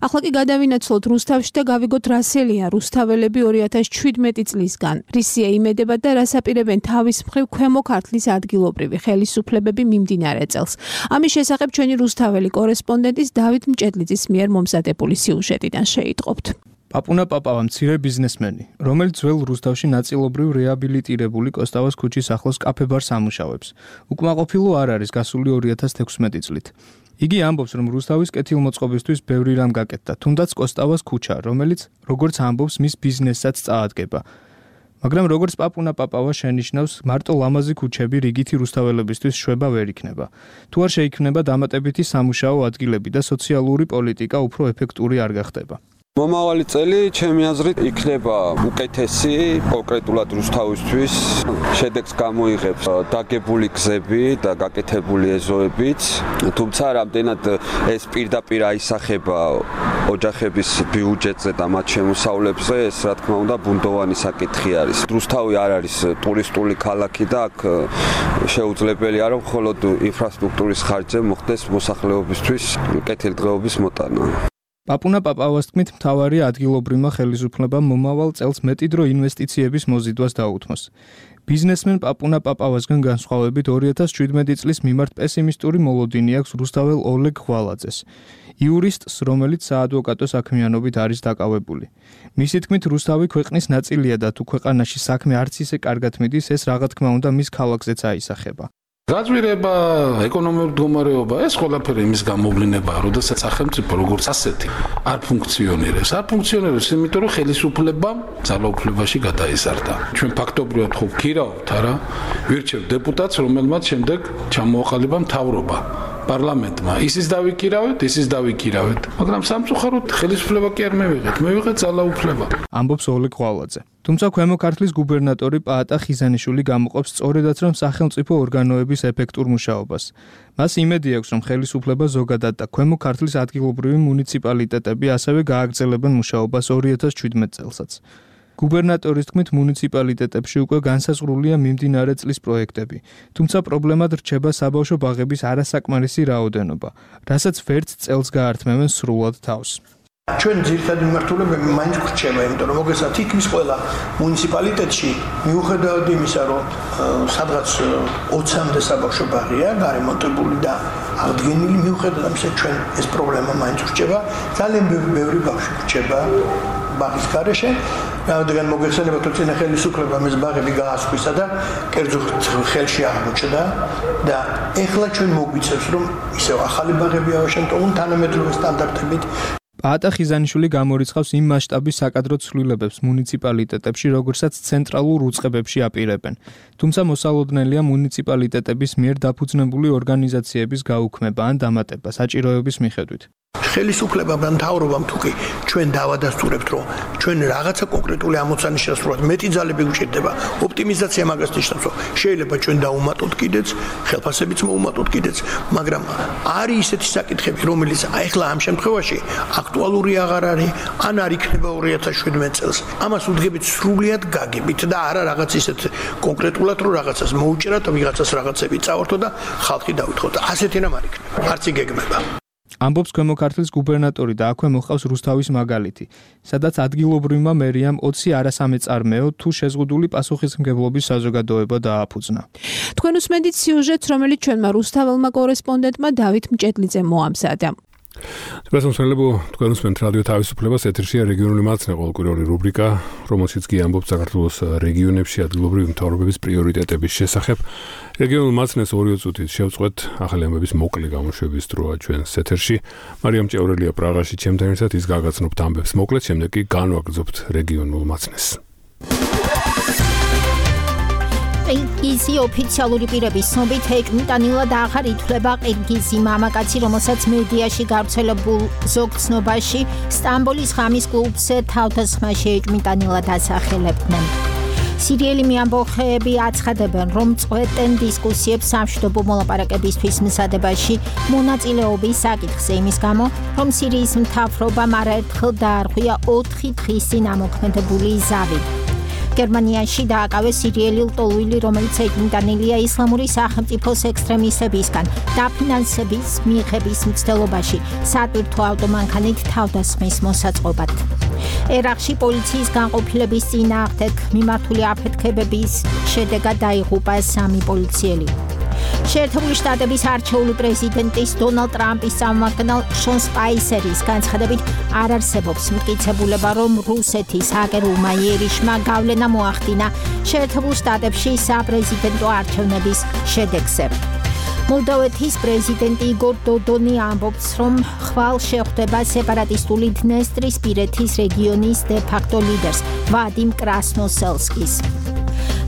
ახლა კი გადავინაცვლოთ რუსთავში და გავიგოთ რასელია რუსთაველები 2017 წლისგან. რისია იმედება და რას აპირებენ თავის მხრივ ქვემო ქართლის ადგილობრივი ხელისუფლებები მიმდინარე წელს. ამის შესახებ ჩვენი რუსთაველი კორესპონდენტის დავით მჭედლიძის მიერ მომზადებული სიუჟეტიდან შეიტყობთ.
პაპუნა პაპავა მცირე ბიზნესმენი, რომელიც ძველ რუსთავში ნაწილობრივ რეაბილიტირებული კოსტავას ქუჩის ახლოს კაფე-ბარს ამუშავებს. უკმაყოფილო არ არის გასული 2016 წლით. იგი ამბობს, რომ რუსთავის კეთილმოწყობისთვის ბევრი რამ გაკეთდა, თუნდაც კოსტავას ქუჩა, რომელიც, როგორც ამბობს, მის ბიზნესსაც წაადგება. მაგრამ როგორც პაპუნა პაპავა შენიშნავს, მარტო ლამაზი ქუჩები რიგითი რუსთაველებისთვის შვება ვერ იქნება. თუ არ შეიქმნება დამატებითი სამუშაო ადგილები და სოციალური პოლიტიკა უფრო ეფექტური არ გახდება.
მომავალი წელი ჩემი აზრით იქნება უკეთესი კონკრეტულად რუსთავისთვის. შედეგს გამოიღებს დაგებული გზები და გაკეთებული ეზოებიც. თუმცა რამდენად ეს პირდაპირ აისახება ოჯახების ბიუჯეტზე და მათ შემოსავლებზე, ეს რა თქმა უნდა ბუნდოვანი საკითხი არის. რუსთავი არ არის ტურისტული ქალაქი და აქ შეუძლებელია რომ მხოლოდ ინფრასტრუქტურის ხარჯზე მოხდეს მოსახლეობისთვის კეთილდღეობის მოტანა.
პაპუნა პაპავას თქმით, მთავარი ადგილობრივმა ხელისუფლებამ მომავალ წელს მეტი დრო ინვესტიციების მოზიდვას დაუთმოს. ბიზნესმენ პაპუნა პაპავასგან განსხვავებით 2017 წლის მიმართ პესიმისტური მოლოდინი აქვს რუსთაველ ოლეგ ღვალაძეს, იურისტს, რომელიც საადვოკატო საქმიანობით არის დაკავებული. მისი თქმით, რუსთავი ქვეყნის ნაწილია და თუ ქვეყანაში საქმე არც ისე კარგად მიდის, ეს რა თქმა უნდა მის ქალაქზეც აისახება.
გაძვირება, ეკონომიკური მდგომარეობა, ეს ყველაფერი იმის გამოვლინებაა, როდესაც სახელმწიფო როგორც ასეთი არ ფუნქციონირებს. არ ფუნქციონირებს, იმიტომ რომ ხელისუფლება ძალაუფლებაში გადაიზარდა. ჩვენ ფაქტობრივად ხო ვქირავთ, არა? ვირჩევ დეპუტატს, რომელმაც შემდეგ ჩამოაყალიბა მთავრობა. პარლამენტმა ისიც დავიკირავეთ, მაგრამ სამწუხაროდ ხელისუფლება კი არ მივიღეთ, მივიღეთ ძალაუფლება.
ამბობს ოლეგ ღვალაძე. თუმცა ქვემო ქართლის გუბერნატორი პაატა ხიზანიშვილი გამოყოფს სწორედაც რომ სახელმწიფო ორგანოების ეფექტურ მუშაობას. მას იმედი აქვს, რომ ხელისუფლება ზოგადად და ქვემო ქართლის ადგილობრივი მუნიციპალიტეტები ასევე გააგრძელებენ მუშაობას 2017 წელსაც. გუბერნატორის თქმით, მუნიციპალიტეტებში უკვე განსაზღვრულია მიმდინარე წლის პროექტები, თუმცა პრობლემად რჩება საბავშვო ბაღების არასაკმარისი რაოდენობა, რასაც ვერც წელს გაართმევენ სრულად თავს.
ჩვენ ძირითადი მიმართულებები მაინც ხრჩება, იმიტომ რომ მოგესალმებით თითქმის ყველა მუნიციპალიტეტში მიუხედავად იმისა, რომ სადღაც 20-მდე საბავშვო ბაღია გარემონტებული და აღდგენილი, მიუხედავად ამისა ჩვენ ეს პრობლემა მაინც ხრჩება, ძალიან ბევრი ბავშვი ხრჩება ბაღის გარეშე. რადგან მოგეხსენებათ, რომ წინა ხელისუფლებამ ეს ბაღები გაასხვისა და კერძო ხელში აღმოჩნდა და ეხლა ჩვენ მოგვიწევს, რომ ისევ ახალი ბაღები ავაშენოთ თანამედროვე სტანდარტებით.
პაატა ხიზანიშვილი გამორიცხავს იმ მასშტაბის საკადრო ცვლილებებს მუნიციპალიტეტებში, როგორცაც ცენტრალურ უწყებებში აპირებენ. თუმცა მოსალოდნელია მუნიციპალიტეტების მიერ დაფუძნებული ორგანიზაციების გაუქმება ან დამატება საჭიროების მიხედვით.
ხელისუფლებამ მთავრობამ თუკი ჩვენ დავადასტურებთ რომ ჩვენ რაღაცა კონკრეტული ამოცანის შესრულად მეტი ძალები გვჭირდება ოპტიმიზაცია მაგას ნიშნავს რომ შეიძლება ჩვენ დავუმატოთ კიდეც ხელფასებიც მოუმატოთ კიდეც მაგრამ არის ისეთი საკითხები რომელიც ახლა ამ შემთხვევაში აქტუალური აღარ არის ან არ იქნება 2017 წელს ამას უდგებით სრულიად გაგებით და არა რაღაც ისეთ კონკრეტულად რომ რაღაცას მოუჭერათ ვიღაცას რაღაცები წავართო და ხალხი დავითხოვოთ ასეთი რამ არ იქნება არც იგეგმება
ამბობს ქვემო ქართლის გუბერნატორი და აქვე მოხავს რუსთავის მაგალითი, სადაც ადგილობრივმა მერიამ 20 არასამეწარმეო თუ შეზღუდული პასუხისმგებლობის საზოგადოება დააფუძნა.
თქვენ უსმენთ სიუჟეტს, რომელიც ჩვენმა რუსთაველმა კორესპონდენტმა დავით მჭედლიძემ მოამზადა.
Დასამსხელებო თქვენ უსმენთ რადიო თავისუფლებას ეთერშია რეგიონული მაცნე ყოველკვირეული რუბრიკა, რომელშიც კი ამბობს საქართველოს რეგიონებში ადგილობრივი მთავრობების პრიორიტეტების შესახებ. რეგიონულ მაცნეს 2 წუთით შევწყვეთ ახალი ამბების მოკლე გამოშვების დროა ჩვენს ეთერში. მარიამ ჭევრელია პრაღაში ჩემთან ერთად ის გაგაცნობთ ამბებს მოკლედ, შემდეგ კი განვაგრძობთ რეგიონულ მაცნეს.
ყირგიზი ოფიციალური პირების ცნობით ეკმიტანილად აღარ ითვლება ყირგიზი მამაკაცი, რომელსაც მედიაში გავრცელებულ ზოგ ცნობაში სტამბოლის ღამის კლუბზე თავდასხმაში ეკმიტანილად ასახელებდნენ. სირიელი ამბოხეები აცხადებენ, რომ წვეტენ დისკუსიებს სამშვიდობო მოლაპარაკებისთვის მზადებაში მონაწილეობის საკითხზე იმის გამო, რომ სირიის მთავრობამ არაერთხელ დაარღვია 4 დღის წინ ამოქმედებული ზავი. გერმანიაში დააკავეს სირიელი ლტოლვილი, რომელიც ეკმიტანილია ისლამური სახელმწიფოს ექსტრემისტებისგან დაფინანსების მიღების მცდელობაში სატვირთო ავტომანქანით თავდასხმის მოსაწყობად. ერაყში პოლიციის განყოფილების წინააღმდეგ მიმართული აფეთქებების შედეგად დაიღუპა 3 პოლიციელი. შეერთებული შტატების არჩეული პრეზიდენტის დონალდ ტრამპის წარმომადგენელ შონ სპაისერის განცხადებით არ არსებობს მტკიცებულება, რომ რუსეთის ჰაკერულმა იერიშმა გავლენა მოახდინა შეერთებულ შტატებში საპრეზიდენტო არჩევნების შედეგზე. მოლდოვეთის პრეზიდენტი იგორ დოდონი ამბობს, რომ ხვალ შეხვდება სეპარატისტული დნესტრისპირეთის რეგიონის დე-ფაქტო ლიდერს ვადიმ კრასნოსელსკის.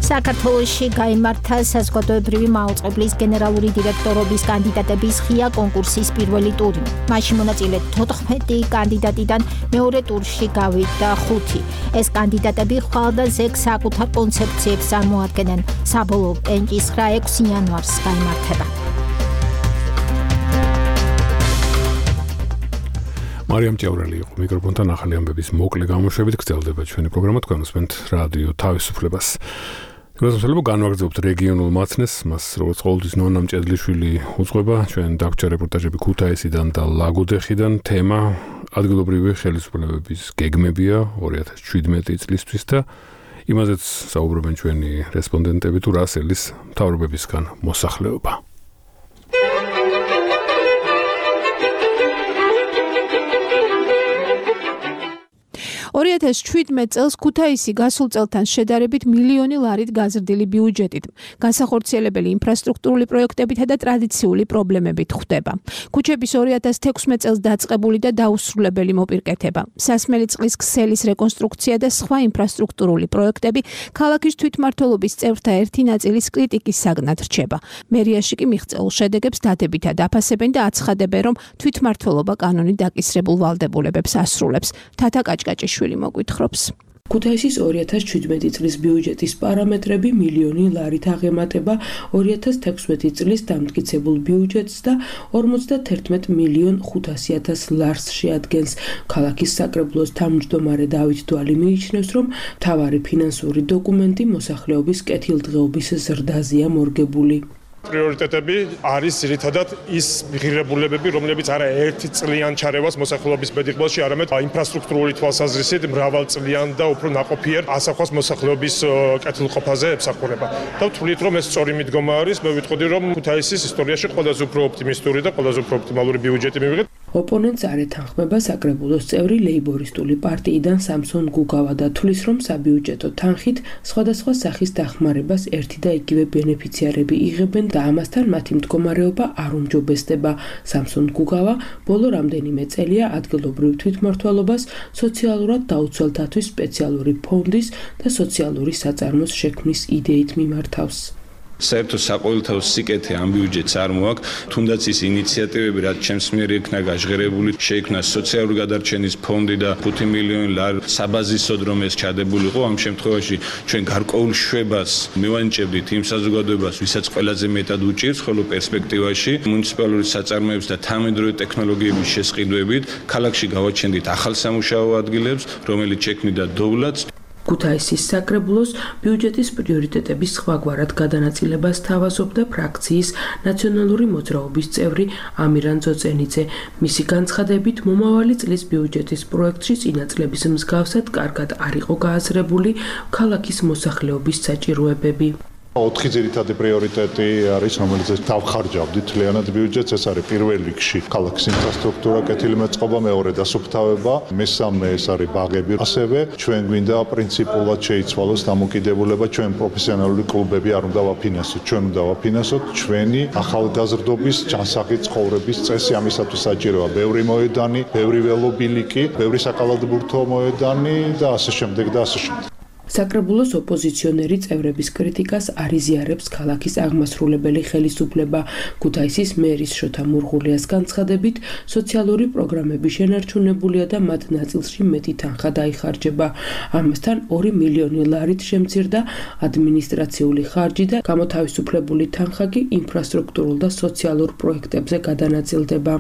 საქართველოში გაიმართა საზოგადოებრივი მაუწყებლის გენერალური დირექტორობის კანდიდატების ღია კონკურსის პირველი ტური. მაშინ მონაწილე 14 კანდიდატიდან მეორე ტურში გავიდა 5. ეს კანდიდატები ხვალდაზეგ საკუთარ კონცეფციებს წარმოადგენენ. საბოლოო პენჭისხრა 6 იანვარს გაიმართება.
მარიამ ჭევრელი იყო მიკროფონთან ახალი ამბების მოკლე გამოშვებით გრძელდება ჩვენი პროგრამა თქვენ უსმენთ რადიო თავისუფლებას. გასასვლელო განვაგრძობთ რეგიონულ მაცნეს, მას როგორც ყოველთვის ნონა მჭედლიშვილი უძღვება, ჩვენ დაგვრჩა რეპორტაჟები ქუთაისიდან და ლაგოდეხიდან, თემა ადგილობრივი ხელისუფლებების გეგმებია 2017 წლისთვის და იმაზეც საუბრობენ ჩვენი რესპონდენტები თუ რასელის მთავრობებისგან მოსახლეობა.
2017 წელს ქუთაისი გასულ წელთან შედარებით მილიონი ლარით გაზრდილი ბიუჯეტით, განსახორციელებელი ინფრასტრუქტურული პროექტებითა და ტრადიციული პრობლემებით ხვდება. ქუჩების 2016 წელს დაწყებული და დაუსრულებელი მოპირკეთება, სასმელი წყლის ქსელის რეკონსტრუქცია და სხვა ინფრასტრუქტურული პროექტები ქალაქის თვითმმართველობის წევრთა ერთი ნაწილის კრიტიკის საგნად რჩება. მერიაში კი მიღწეულ შედეგებს დადებითად აფასებენ და აცხადებენ, რომ თვითმმართველობა კანონით დაკისრებულ ვალდებულებებს ასრულებს. თათა კაჭკაჭიშვილი მოგვითხრობს.
ქუთაისის 2017 წლის ბიუჯეტის პარამეტრები მილიონი ლარით აღემატება 2016 წლის დამტკიცებულ ბიუჯეტს და 51 მილიონ 500.000 ლარს შეადგენს. ქალაქის საკრებულოს თავმჯდომარე დავით დვალი მიიჩნევს, რომ მთავარი ფინანსური დოკუმენტი მოსახლეობის კეთილდღეობის ზრდაზეა მორგებული.
პრიორიტეტები არის ძირითადად ის ღირებულებები, რომლებიც არა ერთი წლიან ჩარევას მოსახლეობის ბედიღბაში, არამედ ინფრასტრუქტურული თვალსაზრისით მრავალწლიან და უფრო ნაყოფიერ ასახავს მოსახლეობის კეთილყოფაზე ემსახურება. და ვთვლით, რომ ეს სწორი მიდგომა არის, მე ვიტყოდი, რომ ქუთაისის ისტორიაში ყველაზე უფრო ოპტიმისტური და ყველაზე უფრო ოპტიმალური ბიუჯეტი მივიღეთ.
ოპონენტს არ ეთანხმება საკრებულოს წევრი ლეიბორისტული პარტიიდან სამსონ გუგავა და თვლის, რომ საბიუჯეტო თანხით სხვადასხვა სახის დახმარებას ერთი და იგივე ბენეფიციარები იღებენ და ამასთან მათი მდგომარეობა არ უმჯობესდება. სამსონ გუგავა ბოლო რამდენიმე წელია ადგილობრივ თვითმმართველობას სოციალურად დაუცველთათვის სპეციალური ფონდის და სოციალური საწარმოს შექმნის იდეით მიმართავს.
საერთო საყოველთაო სიკეთე ამ ბიუჯეტს არ მოაქვს, თუნდაც ის ინიციატივები, რაც ჩემს მიერ იქნა გაჟღერებული, შეიქმნა სოციალური გადარჩენის ფონდი და 5 მილიონი ლარი საბაზისოდ რომ ეს ჩადებულიყო, ამ შემთხვევაში ჩვენ გარკვეულ შვებას მივანიჭებდით იმ საზოგადოებას, ვისაც ყველაზე მეტად უჭირს, ხოლო პერსპექტივაში მუნიციპალური საწარმოების და თანამედროვე ტექნოლოგიების შესყიდვებით ქალაქში გავაჩენდით ახალ სამუშაო ადგილებს, რომელიც შექმნიდა დოვლაც.
ქუთაისის საკრებულოს ბიუჯეტის პრიორიტეტების სხვაგვარად გადანაწილებას თავაზობდა ფრაქციის ნაციონალური მოძრაობის წევრი ამირან ძოწენიძე. მისი განცხადებით, მომავალი წლის ბიუჯეტის პროექტში წინა წლების მსგავსად კარგად არ იყო გააზრებული ქალაქის მოსახლეობის საჭიროებები.
4 ძირითადი პრიორიტეტი არის, რომელიც დავხარჯავდით თლიანად ბიუჯეტს. ეს არის პირველ რიგში ქალაქის ინფრასტრუქტურა, კეთილი მეწყობა, მეორე დასუფთავება, მესამე ეს არის ბაღები. ასევე ჩვენ გვინდა პრინციპულად შეიცვალოს დამოკიდებულება, ჩვენ პროფესიონალური კლუბები არ უნდა ვაფინანსოთ, ჩვენ უნდა ვაფინანსოთ ჩვენი ახალგაზრდობის ჯანსაღი ცხოვრების წესი. ამისათვის საჭიროა ბევრი მოედანი, ბევრი ველობილიკი, ბევრი საკალათბურთო მოედანი და ასე შემდეგ და ასე შემდეგ.
საკრებულოს ოპოზიციონერი წევრების კრიტიკას არიზიარებს ქალაქის აღმასრულებელი ხელისუფლება. ქუთაისის მერის შოთა მურღულიას განცხადებით, სოციალური პროგრამები შენარჩუნებულია და მათ ნაწილში მეტი თანხა დაიხარჯება. ამასთან 2 მილიონი ლარით შემცირდა ადმინისტრაციული ხარჯი და გამოთავისუფლებული თანხა კი ინფრასტრუქტურულ და სოციალურ პროექტებზე გადანაწილდება.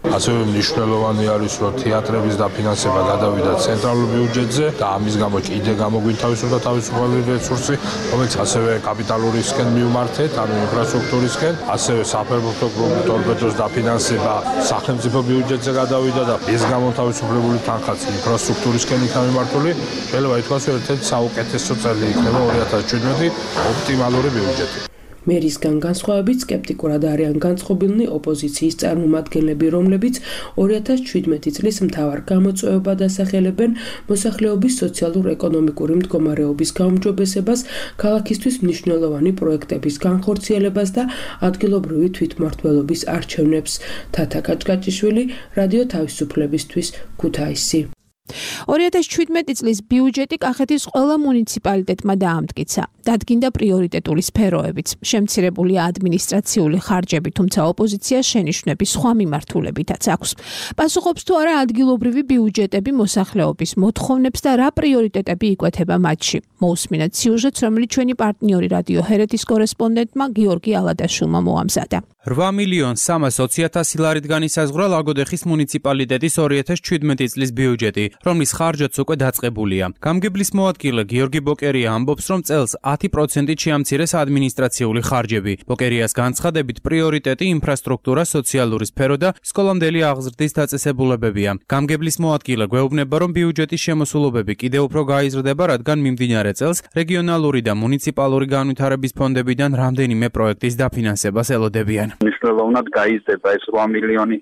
ასევე მნიშვნელოვანი არის, რომ თეატრების დაფინანსება გადავიდა ცენტრალურ ბიუჯეტზე და ამის გამო კიდე გამოგვინთავისუფლდა თავისუფალი რესურსი, რომელიც ასევე კაპიტალურისკენ მივმართეთ, ანუ ინფრასტრუქტურისკენ, ასევე საფეხბურთო კლუბ ტორპედოს დაფინანსება სახელმწიფო ბიუჯეტზე გადავიდა და ეს გამოთავისუფლებული თანხაც ინფრასტრუქტურისკენ იქნა მიმართული. შეიძლება ითქვას, რომ ერთ-ერთი საუკეთესო წელი იქნება 2017 ოპტიმალური ბიუჯეტი.
მერისგან განსხვავებით სკეპტიკურად არიან განწყობილნი ოპოზიციის წარმომადგენლები, რომლებიც 2017 წლის მთავარ გამოწვევებად ასახელებენ მოსახლეობის სოციალურ-ეკონომიკური მდგომარეობის გაუმჯობესებას, ქალაქისთვის მნიშვნელოვანი პროექტების განხორციელებას და ადგილობრივი თვითმმართველობის არჩევნებს. თათა კაჭკაჭიშვილი, რადიო თავისუფლებისთვის, ქუთაისი.
2017 წლის ბიუჯეტი კახეთის ყველა მუნიციპალიტეტმა დაამტკიცა. დადგინდა პრიორიტეტული სფეროებიც, შემცირებული ადმინისტრაციული ხარჯები, თუმცა ოპოზიციას შენიშვნები სხვა მიმართულებითაც აქვს. პასუხობს თუ არა ადგილობრივი ბიუჯეტები მოსახლეობის მოთხოვნებს და რა პრიორიტეტები იკვეთება მათში. მოусმინეთ სიუჟეტს, რომელიც ჩვენი პარტნიორი რადიო ჰერეთის კორესპონდენტმა გიორგი ალადაშვილმა მოამზადა.
8.320.000 ლარით განისაზღვრა ლაგოდეხის მუნიციპალიტეტის 2017 წლის ბიუჯეტი, რომლის ხარჯაც უკვე დაწყებულია. გამგებლის მოადგილე გიორგი ბოკერია ამბობს, რომ წელს 10%-ით შეამცირეს ადმინისტრაციული ხარჯები. ბოკერიას განცხადებით, პრიორიტეტი ინფრასტრუქტურა, სოციალური სფერო და სკოლამდელი აღზრდის დაწესებულებებია. გამგებლის მოადგილე გვეუბნება, რომ ბიუჯეტის შემოსულობები კიდევ უფრო გაიზრდება, რადგან მიმდინარე წელს რეგიონალური და მუნიციპალური განვითარების ფონდებიდან რამდენიმე პროექტის დაფინანსებას ელოდებიან.
მნიშვნელოვნად გაიზრდება ეს 8 მილიონი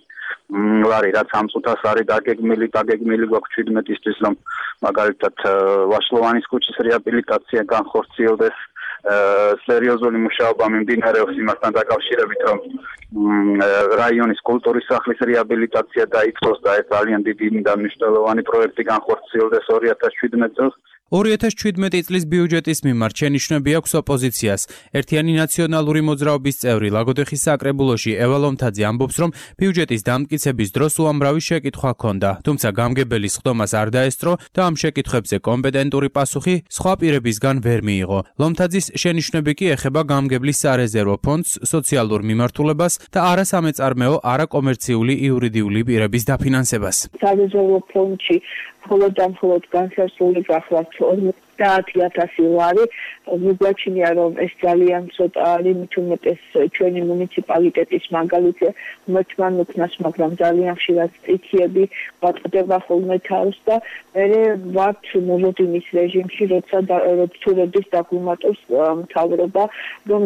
ლარი, რაც ამ წუთას არის დაგეგმილი გვაქვს 17-ისთვის, რომ მაგალითად ვაშლოვანის ქუჩის რეაბილიტაცია განხორციელდეს. სერიოზული მუშაობა მიმდინარეობს იმასთან დაკავშირებით, რომ რაიონის კულტურის სახლის რეაბილიტაცია დაიწყოს და ეს ძალიან დიდი და მნიშვნელოვანი პროექტი განხორციელდეს 2017 წელს.
2017 წლის ბიუჯეტის მიმართ შენიშვნები აქვს ოპოზიციას. ერთიანი ნაციონალური მოძრაობის წევრი ლაგოდეხის საკრებულოში ევა ლომთაძე ამბობს, რომ ბიუჯეტის დამტკიცების დროს უამრავი შეკითხვა ჰქონდა, თუმცა გამგებელის ხდომას არ დაესწრო და ამ შეკითხვებზე კომპეტენტური პასუხი სხვა პირებისგან ვერ მიიღო. ლომთაძის შენიშვნები კი ეხება გამგებლის სარეზერვო ფონდს, სოციალურ მიმართულებას და არასამეწარმეო, არაკომერციული იურიდიული პირების დაფინანსებას.
სარეზერვო ფონდში მხოლოდ განსასწრული გახლავთ 50,000 ლარი. მიგვაჩნია, რომ ეს ძალიან ცოტა არის, მით უმეტეს ჩვენი მუნიციპალიტეტის მაგალითზე მოთმან უქნას, მაგრამ ძალიან ხშირად სტიქიები ვატყდება ხოლმე თავს და მე ვართ მოლოდინის რეჟიმში, როცა როდის დაგვიმატოს მთავრობა, რომ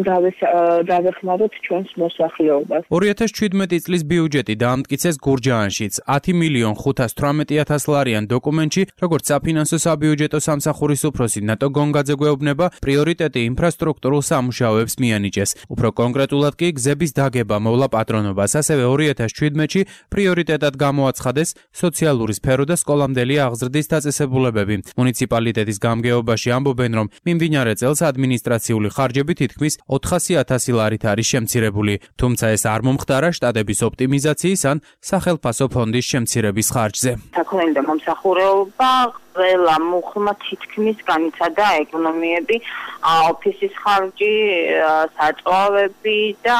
დავეხმაროთ ჩვენს მოსახლეობას.
2017 წლის ბიუჯეტი დაამტკიცეს გურჯაანშიც 10.518.000 ლარიან დოკუმენტში, როგორც საფინანსო საბიუჯეტო სამსახურის უფროსი ნატო გონგაძე გვეუბნება, პრიორიტეტი ინფრასტრუქტურულ სამუშაოებს მიანიჭეს. უფრო კონკრეტულად კი გზების დაგება მოვლა პატრონობას, ასევე 2017-ში პრიორიტეტად გამოაცხადეს სოციალური სფერო და სკოლამდელი აღზრდის დაწესებულებები. მუნიციპალიტეტის გამგეობაში ამბობენ, რომ მიმდინარე წელს ადმინისტრაციული ხარჯები თითქმის 400,000 ლარით არის შემცირებული, თუმცა ეს არ მომხდარა შტატების ოპტიმიზაციის ან სახელმწიფო ფონდის შემცირების ხარჯზე.
საქონელი და მომსახურება ყველა მუხლმა თითქმის განიცადა ეკონომიები, ოფისის ხარჯი, საწვავები და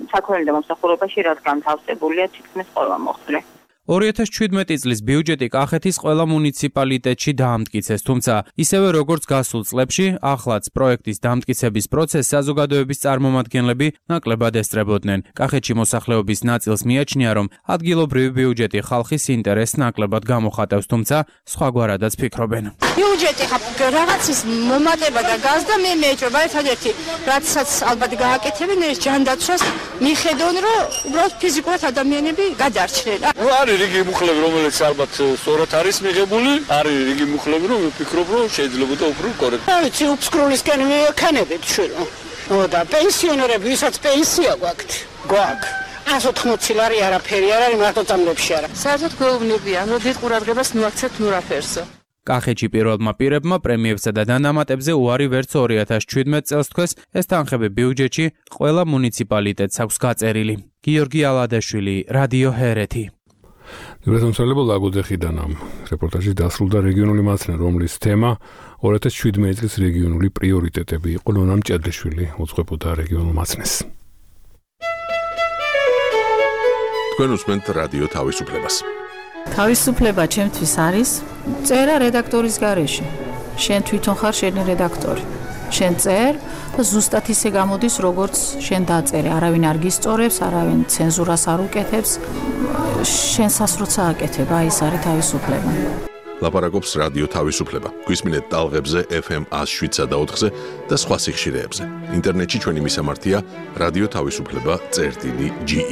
საქონელი და მომსახურებაში რაც განთავსებულია თითქმის ყველა მოხდრე.
2017 წლის ბიუჯეტი კახეთის ყველა მუნიციპალიტეტში დაამტკიცეს, თუმცა ისევე როგორც გასულ წლებში, ახლაც პროექტის დამტკიცების პროცესს საზოგადოების წარმომადგენლები ნაკლებად ესწრებოდნენ. კახეთში მოსახლეობის ნაწილს მიაჩნია, რომ ადგილობრივი ბიუჯეტი ხალხის ინტერესს ნაკლებად გამოხატავს, თუმცა სხვაგვარადაც ფიქრობენ.
ბიუჯეტი რაღაცის მომატება და გაზდა მე მეჭრობა ერთადერთი, რაცაც ალბათ გააკეთებენ ეს ჯანდაცვას, მიხედონ რომ უბრალოდ ფიზიკურად ადამიანები გადარჩნენ.
რიგი მუხლები, რომელიც ალბათ სწორად არის მიღებული, არის რიგი მუხლები, რომ ვფიქრობ, რომ შეიძლება უფრო კორექტულად.
ვიცი, უფსკრულისკენ მივექანებით შვილო. და პენსიონერები, ვისაც პენსია გვაქვთ. 180 ლარი არაფერი არ არის, მარტო წამლებში არა. საერთოდ გვეუბნებიან, რომ დიდ ყურადღებას მივაქცევთ ნურაფერსო.
კახეთში პირველმა პირებმა პრემიებსა და დანამატებზე უარი ვერც 2017 წელს თქვეს, ეს თანხები ბიუჯეტში ყველა მუნიციპალიტეტს აქვს გაწერილი. გიორგი ალადაშვილი, რადიო ჰერეთი.
ნებისმიერება ლაგოდეხიდან ამ რეპორტაჟი დასრულდა რეგიონული მაცნე, რომლის თემა 2017 წლის რეგიონული პრიორიტეტები იყო. ნონა მჭედლიშვილი უძღვებოდა რეგიონულ მაცნეს.
თქვენ უსმენთ რადიო თავისუფლებას.
თავისუფლება ჩემთვის არის წერა რედაქტორის გარეშე. შენ თვითონ ხარ შენი რედაქტორი. შენ წერ და ზუსტად ისე გამოდის, როგორც შენ დაწერე. არავინ არ გისწორებს, არავინ ცენზურას არ უკეთებს. შენ სასროცა აკეთებ, აი ეს არის თავისუფლება.
ლაპარაკობს რადიო თავისუფლება. გვისმინეთ ტალღებზე FM 107.4-ზე და სხვა სიხშირეებზე. ინტერნეტში ჩვენი მისამართია რადიო თავისუფლება.ge.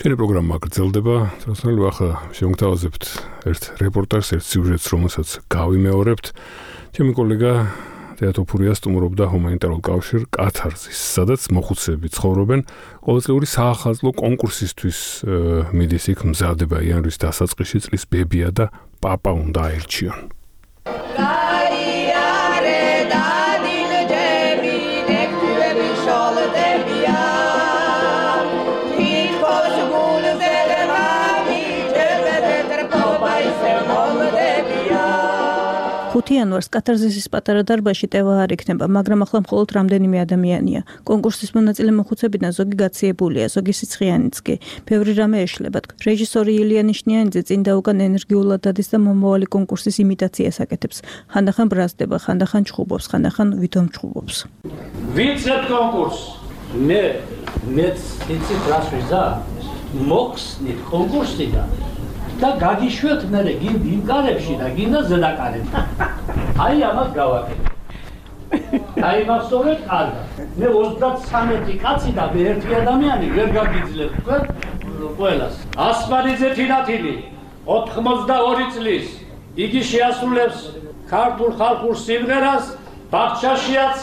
ჩვენი პროგრამა გრძელდება. თორსალ ახლა შევგთავაზებთ ერთ რეპორტაჟს, ერთ სიუჟეტს, რომელსაც გავიმეორებთ. ჩემი კოლეგა თეატოფურია სტუმრობდა ჰუმანიტარულ კავშირ კათარზის, სადაც მოხუცები ცხოვრობენ. ყოველწლიური საახალწლო კონკურსისთვის მიდის იქ მზადება იანვრის დასაწყისში წლის ბებია და პაპა უნდა აერჩიონ.
იანვარს კათარზისის პატარა დარბაზში ტევა არ იქნება, მაგრამ ახლა მხოლოდ რამდენიმე ადამიანია. კონკურსის მონაწილე მოხუცებიდან ზოგი გაციებულია, ზოგი სიცხიანიც კი. ბევრი რამე ეშლებათ. რეჟისორი ილია ნიშნიანიძე წინ და უკან ენერგიულად დადის და მომავალი კონკურსის იმიტაციას აკეთებს. ხანდახან ბრაზდება, ხანდახან ჩხუბობს, ხანდახან ვითომ ჩხუბობს.
ვიცით კონკურს. მეც იცით რას ვიზა? მოხსნით კონკურსიდან. და გაგიშვათ მე იმ კარებში და გინდა ზედაკარებში. აი ამას გავაკეთე. აი მასწორეთ კარგად. მე 33 კაცი და მე ერთი ადამიანი ვერ გაგიძლებ თქვენ ყველას. ასპარიძე თინათინი 82 წლის იგი შეასრულებს ქართულ ხალხურ სიმღერას ბაღჩაშიაც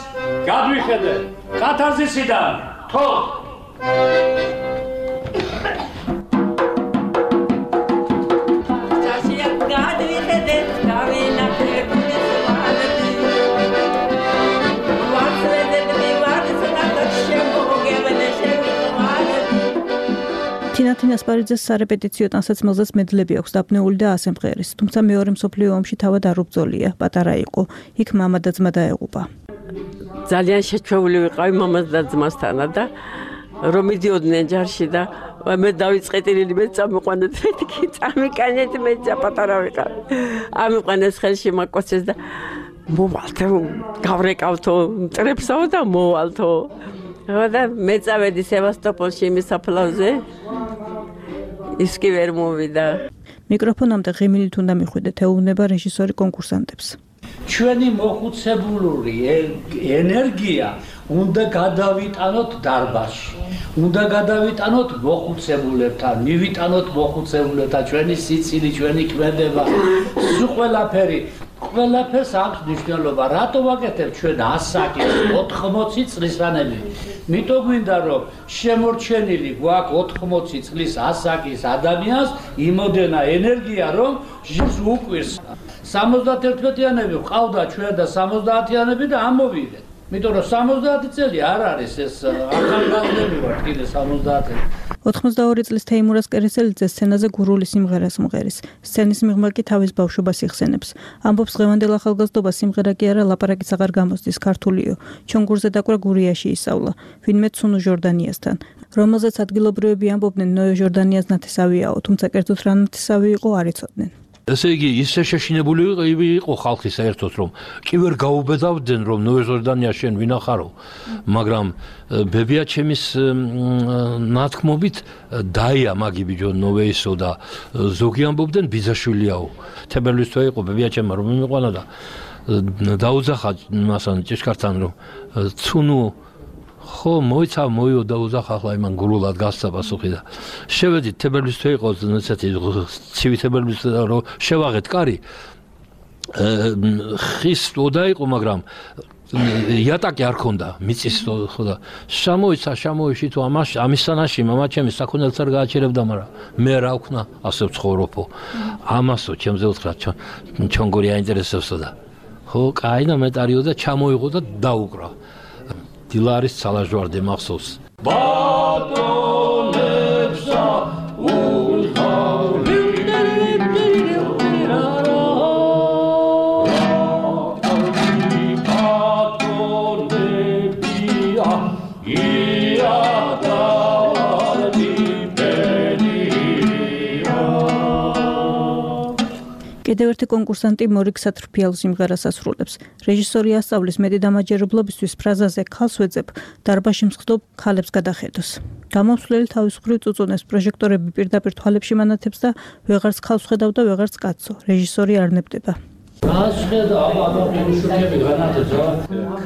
გადვიხედე კათარზისიდან თო
თინათინ ასპარიძეს სარეპეტიციო ტანსაცმელზეც მედლები აქვს დაბნეული და ასემღერის, თუმცა მეორე მსოფლიო ომში თავად არ უბრძოლია, პატარა იყო. იქ მამა და ძმა დაეღუპა.
ძალიან შეჩვეული ვიყავი მამას და ძმასთან და რომ მიდიოდნენ ჯარში და მე დავიწყეთილი მე წამიყვანეთ მეთქი წამიკანეთ მე პატარა ვიყავ. ამიყვანეს ხელში მაკოცეს და მოვალთო გავრეკავთო მტრებსაო და მოვალთო. და მე წავედი სევასტოპოლში იმის საფლავზე. ის კი ვერ მოვიდა.
მიკროფონამდე ღიმილით უნდა მიხვიდეთ, ეუბნება რეჟისორი კონკურსანტებს.
ჩვენი მოხუცებულური ენერგია უნდა გადავიტანოთ დარბაზში. უნდა გადავიტანოთ მოხუცებულებთან, მივიტანოთ მოხუცებულებთან ჩვენი სიცილი, ჩვენი ქმედება, სულ ყველაფერს აქვს მნიშვნელობა. რატო ვაკეთებ ჩვენ 100-80 წლისანები? მითო გვინდა რომ შემორჩენილი გვაქვს 80 წლის ასაკის ადამიანს იმოდენა ენერგია რომ ჟირს უკვირს. 71-იანები ყავდა ჩვენ და 70-იანები და ამოვიდეთ. მითო რომ 70 წელი არ არის ეს ახალგაზრდები ვართ კიდე 70.
82 წლის თეიმურაზ კერესელიძე სცენაზე გურული სიმღერას მღერის. სცენის მიღმა კი თავის ბავშვობას იხსენებს. ამბობს დღევანდელ ახალგაზრდობა სიმღერა კი არა ლაპარაკიც აღარ გამოსდის ქართულიო. ჩვენ გურზე დაკვრა გურიაში ისავლა. ვინმე ცუნუ ჟორდანიასთან. რომელზეც ადგილობრივები ამბობდნენ ნოე ჟორდანიას ნათესავიაო, თუმცა კერძოდ რა ნათესავი იყო არ იცოდნენ.
ესე იგი ისე შეშინებული იყო ხალხი საერთოდ რომ კი ვერ გაუბედავდნენ რომ ნოე ჟორდანია შენ ვინახარო მაგრამ ბებია ჩემის ნათქმობით დაია მაგი ბიჯო ნოვეისო და ზოგი ამბობდნენ ბიძაშვილიაო თებერვლის თვე იყო ბებია ჩემმა რომ მიმიყვანა და დაუძახა მასან ჭიშკართან რომ ცუნუ ხო მოიცა მოიოდა უძახა ახლა იმან გულულად გასცა პასუხი და შევედით თებერვლის თვე იყო ესეთი ცივი თებერვლის რომ შევაღეთ კარი ხის ოდა იყო მაგრამ იატაკი არ ქონდა მიწის ხო და შემოიში თუ ამისთანაში მამა ჩემი საქონელს არ გააჩერებდა მაგრამ მე რა ვქნა ასე ვცხოვრობო ამასო ჩემზე უთხრა ჩონგური აინტერესებსო და ხო კაი და მეტარიო და ჩამოიღო და დაუკრა დილარის ცალაჟვარდე მახსოვს ბატონებსა
კიდევ ერთი კონკურსანტი მორიგ სატრფიალ სიმღერას ასრულებს. რეჟისორი ასწავლის მეტი დამაჯერებლობისთვის ფრაზაზე ქალს ვეძებ, დარბაზში მსხდობ ქალებს გადახედოს. გამომსვლელი თავისუფლად წუწუნებს პროჟექტორები პირდაპირ თვალებში მანათებს და ვეღარც ქალს ხედავ და ვეღარც კაცო. რეჟისორი არ ნებდება.
ქალს ხედავ, შუქები განათებს.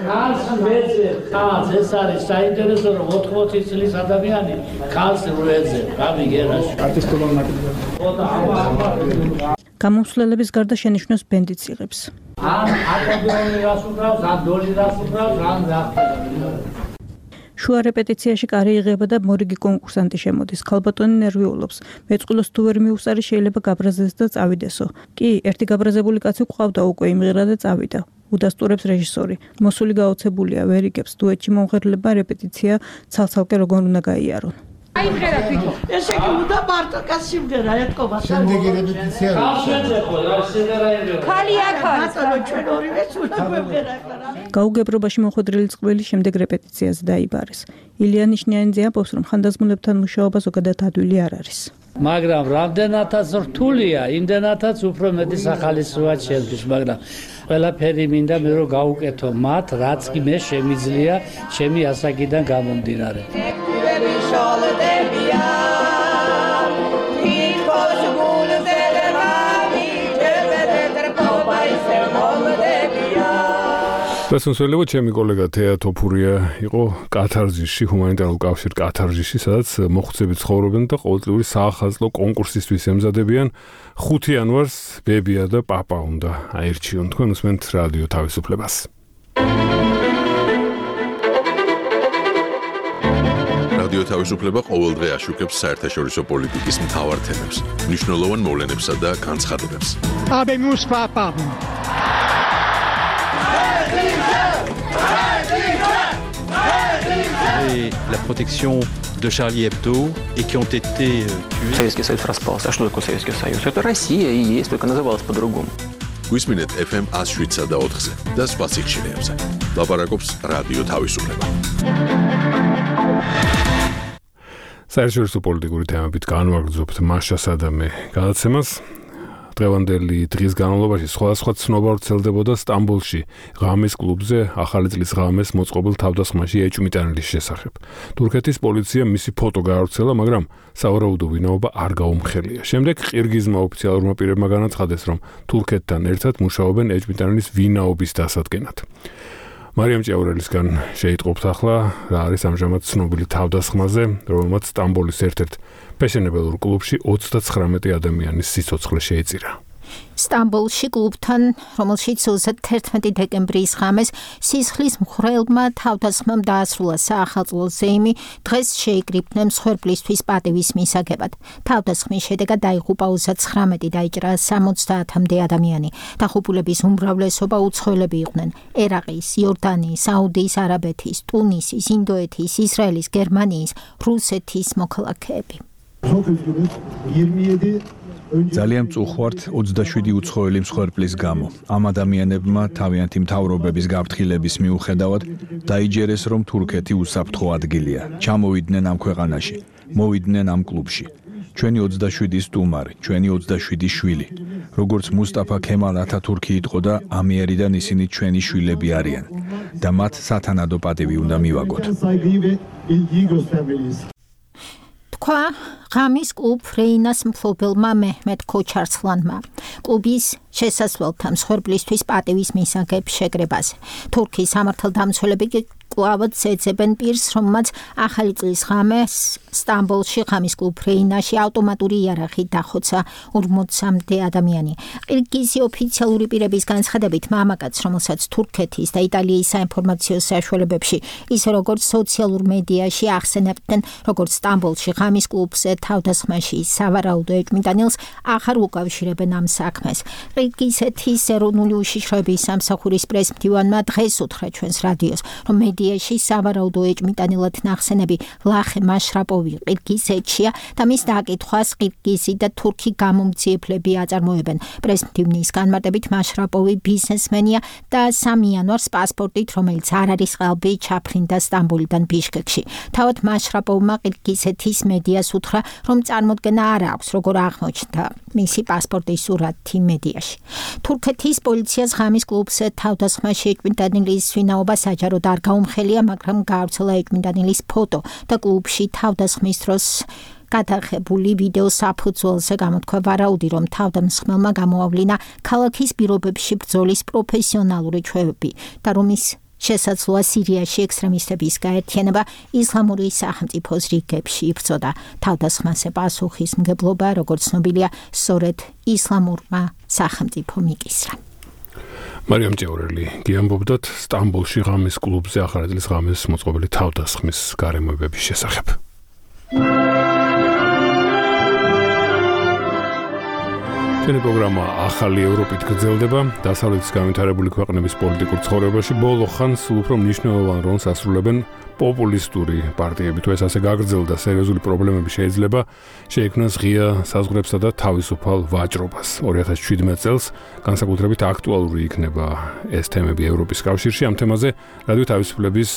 ქალს ვეძებ, ქალს ეს არის საინტერესო რომ 80 წლის ადამიანი ქალს ვეძებ. გამიგერას. არტისტობა ნაკლებია. გამომსვლელების გარდა შენიშვნებს ბენდიც იღებს. ან აკორდეონი რას უკრავს, ან დოჟი რას უკრავს, ან რა. შუა რეპეტიციაში კარი იღება და მორიგი კონკურსანტი შემოდის. ქალბატონი ნერვიულობს. მეწყვილოს თუ ვერ მიუსარი შეიძლება გაბრაზდეს და წავიდესო. კი, ერთი გაბრაზებული კაცი ყავდა უკვე იმღერა და წავიდა. უდასტურებს რეჟისორი. მოსული გაოცებულია, ვერ იგებს დუეტში მომღერლება რეპეტიცია ცალ-ცალკე როგორ უნდა გაიარონ. აი ხერა თვითონ. ესე იგი უნდა მარტო კაც სიმღერა ეთქობა.
შემდეგი რეპეტიცია.
ქალია ქალი. ჩვენ ორივეც უნდა გვემღერა ახლა. გაუგებრობაში მოხვედრილი წყვილი შემდეგ რეპეტიციაზე დაიბარეს. ილია ნიშნიანიძე ამბობს, რომ ხანდაზმულებთან მუშაობა ზოგადად ადვილი არ არის.
მაგრამ რამდენადაც რთულია, იმდენადაც უფრო მეტი სახალისოა ჩემთვის, მაგრამ ყველაფერი მინდა მე რომ გავუკეთო მათ, რაც კი მე შემიძლია ჩემი ასაკიდან გამომდინარე.
დასასრულებლად ჩემი კოლეგა თეა თოფურია იყო კათარზისში, ჰუმანიტარულ კავშირ კათარზისში, სადაც მოხუცები ცხოვრობენ და ყოველწლიური საახალწლო კონკურსისთვის ემზადებიან. 5 იანვარს ბებია და პაპა უნდა აერჩიონ. თქვენ უსმენთ რადიო თავისუფლებას.
რადიო თავისუფლება ყოველდღე აშუქებს საერთაშორისო პოლიტიკის მთავარ თემებს, მნიშვნელოვან მოვლენებსა და განცხადებებს.
Habemus papa.
Et la protection de Charlie Hebdo et qui ont été tués.
Советский Союз распался. А что такое Советский Союз? Это Россия и есть, только называлась по-другому.
Გვისმინეთ FM 107 და 4-ზე და სხვა სიხშირეებზე. ლაპარაკობს რადიო თავისუფლება.
საერთაშორისო პოლიტიკური თემებით განვაგრძობთ მაშასა და მე გადაცემას. დღევანდელი დღის განმავლობაში სხვადასხვა ცნობა ვრცელდებოდა სტამბოლში ღამის კლუბზე ახალი წლის ღამეს მოწყობილ თავდასხმაში ეჭვმიტანილის შესახებ. თურქეთის პოლიცია მისი ფოტო გაავრცელა, მაგრამ სავარაუდო ვინაობა არ გაუმხელია. შემდეგ ყირგიზმა ოფიციალურმა პირებმა განაცხადეს, რომ თურქეთთან ერთად მუშაობენ ეჭვმიტანილის ვინაობის დასადგენად. მარიამ ჭიაურელისგან შეიტყობთ ახლა რა არის ამჟამად ცნობილი თავდასხმაზე, რომელმაც სტამბოლის ერთ-ერთ ფეშენებელურ კლუბში 39 ადამიანის სიცოცხლე შეეწირა.
სტამბოლში კლუბთან, რომელშიც 31 დეკემბრის ღამეს სისხლის მხრელმა თავდასხმამ დაასრულა საახალწლო ზეიმი, დღეს შეიკრიბნენ მსხვერპლისთვის პატივის მისაგებად. თავდასხმის შედეგად დაიღუპა 39, დაიჭრა 70-მდე ადამიანი. დაღუპულების უმრავლესობა უცხოელები იყვნენ: ერაყის, იორდანიის, საუდის არაბეთის, ტუნისის, ინდოეთის, ისრაელის, გერმანიის, რუსეთის მოქალაქეები.
ძალიან მწუხვართ 27 უცხოელი მსხვერპლის გამო. ამ ადამიანებმა თავიანთი მთავრობების გაფრთხილების მიუხედავად დაიჯერეს, რომ თურქეთი უსაფრთხო ადგილია. ჩამოვიდნენ ამ ქვეყანაში, მოვიდნენ ამ კლუბში. ჩვენი 27 სტუმარი, ჩვენი 27 შვილი. როგორც მუსტაფა ქემალ ათათურქი იტყოდა, ამიერიდან ისინი ჩვენი შვილები არიან და მათ სათანადო პატივი უნდა მივაგოთ.
თქვა ღამის კლუბ რეინას მფლობელმა მეჰმედ ქოჩარცლანმა კლუბის შესასვლელთან მსხვერპლისთვის პატივის მისაგებ შეკრებას. თურქიის სამართალდამცველები კლავად ეძებენ პირს, რომელმაც ახალი წლის ღამეს სტამბოლში ღამის კლუბ რეინაში ავტომატური იარაღით დახოცა 40-მდე ადამიანი. ყირგიზი ოფიციალური პირების განცხადებით, მამაკაც, რომელსაც თურქეთის და იტალიის საინფორმაციო საშუალებებში, ისე როგორც სოციალურ მედიაში ახსენებდნენ, როგორც სტამბოლში ღამის კლუბზე თავდასხმაში სავარაუდო ეჭვმიტანილს აღარ უკავშირებენ ამ საქმეს. ყირგიზეთის ეროვნული უშიშროების სამსახურის პრესმდივანმა დღეს უთხრა ჩვენს რადიოს, რომ მედიაში სავარაუდო ეჭვმიტანილად ნახსენები ლახე მაშრაპოვი ყირგიზეთშია და მის დაკითხვას ყირგიზი და თურქი გამომძიებლები აწარმოებენ. პრესმდივნის განმარტებით მაშრაპოვი ბიზნესმენია და 3 იანვარს პასპორტით, რომელიც არ არის ყალბი, ჩაფრინდა სტამბოლიდან ბიშკეკში. თავად მაშრაპოვმა ყირგიზეთის მედიას უთხრა, რომ წარმოდგენა არ აქვს, როგორ აღმოჩნდა მისი პასპორტის სურათი მედიაში. თურქეთის პოლიციას ღამის კლუბზე თავდასხმაში ეჭვმიტანილის ვინაობა საჯაროდ არ გაუმხელია, მაგრამ გაავრცელა ეჭვმიტანილის ფოტო და კლუბში თავდასხმის დროს გადაღებული ვიდეო საფუძველზე გამოთქვა ვარაუდი, რომ თავდამსხმელმა გამოავლინა ქალაქის პირობებში ბრძოლის პროფესიონალური ჩვევები და რომ ის შესაძლოა სირიაში ექსტრემისტების გაერთიანება ისლამური სახელმწიფოს რიგებში იბრძოდა. თავდასხმაზე პასუხისმგებლობა, როგორც ცნობილია, სწორედ ისლამურმა სახელმწიფომ იკისრა.
მარიამ ჭიაურელი გიამბობდათ სტამბოლში ღამის კლუბზე ახალი წლის ღამეს მოწყობილი თავდასხმის გარემოებების შესახებ. ჩვენი პროგრამა ახალი ევროპით გრძელდება. დასავლეთის განვითარებული ქვეყნების პოლიტიკურ ცხოვრებაში ბოლო ხანს უფრო მნიშვნელოვან როლს ასრულებენ პოპულისტური პარტიები. თუ ეს ასე გაგრძელდა, სერიოზული პრობლემები შეიძლება შეექმნას ღია საზღვრებსა და თავისუფალ ვაჭრობას. 2017 წელს განსაკუთრებით აქტუალური იქნება ეს თემები ევროპის კავშირში. ამ თემაზე რადიო თავისუფლების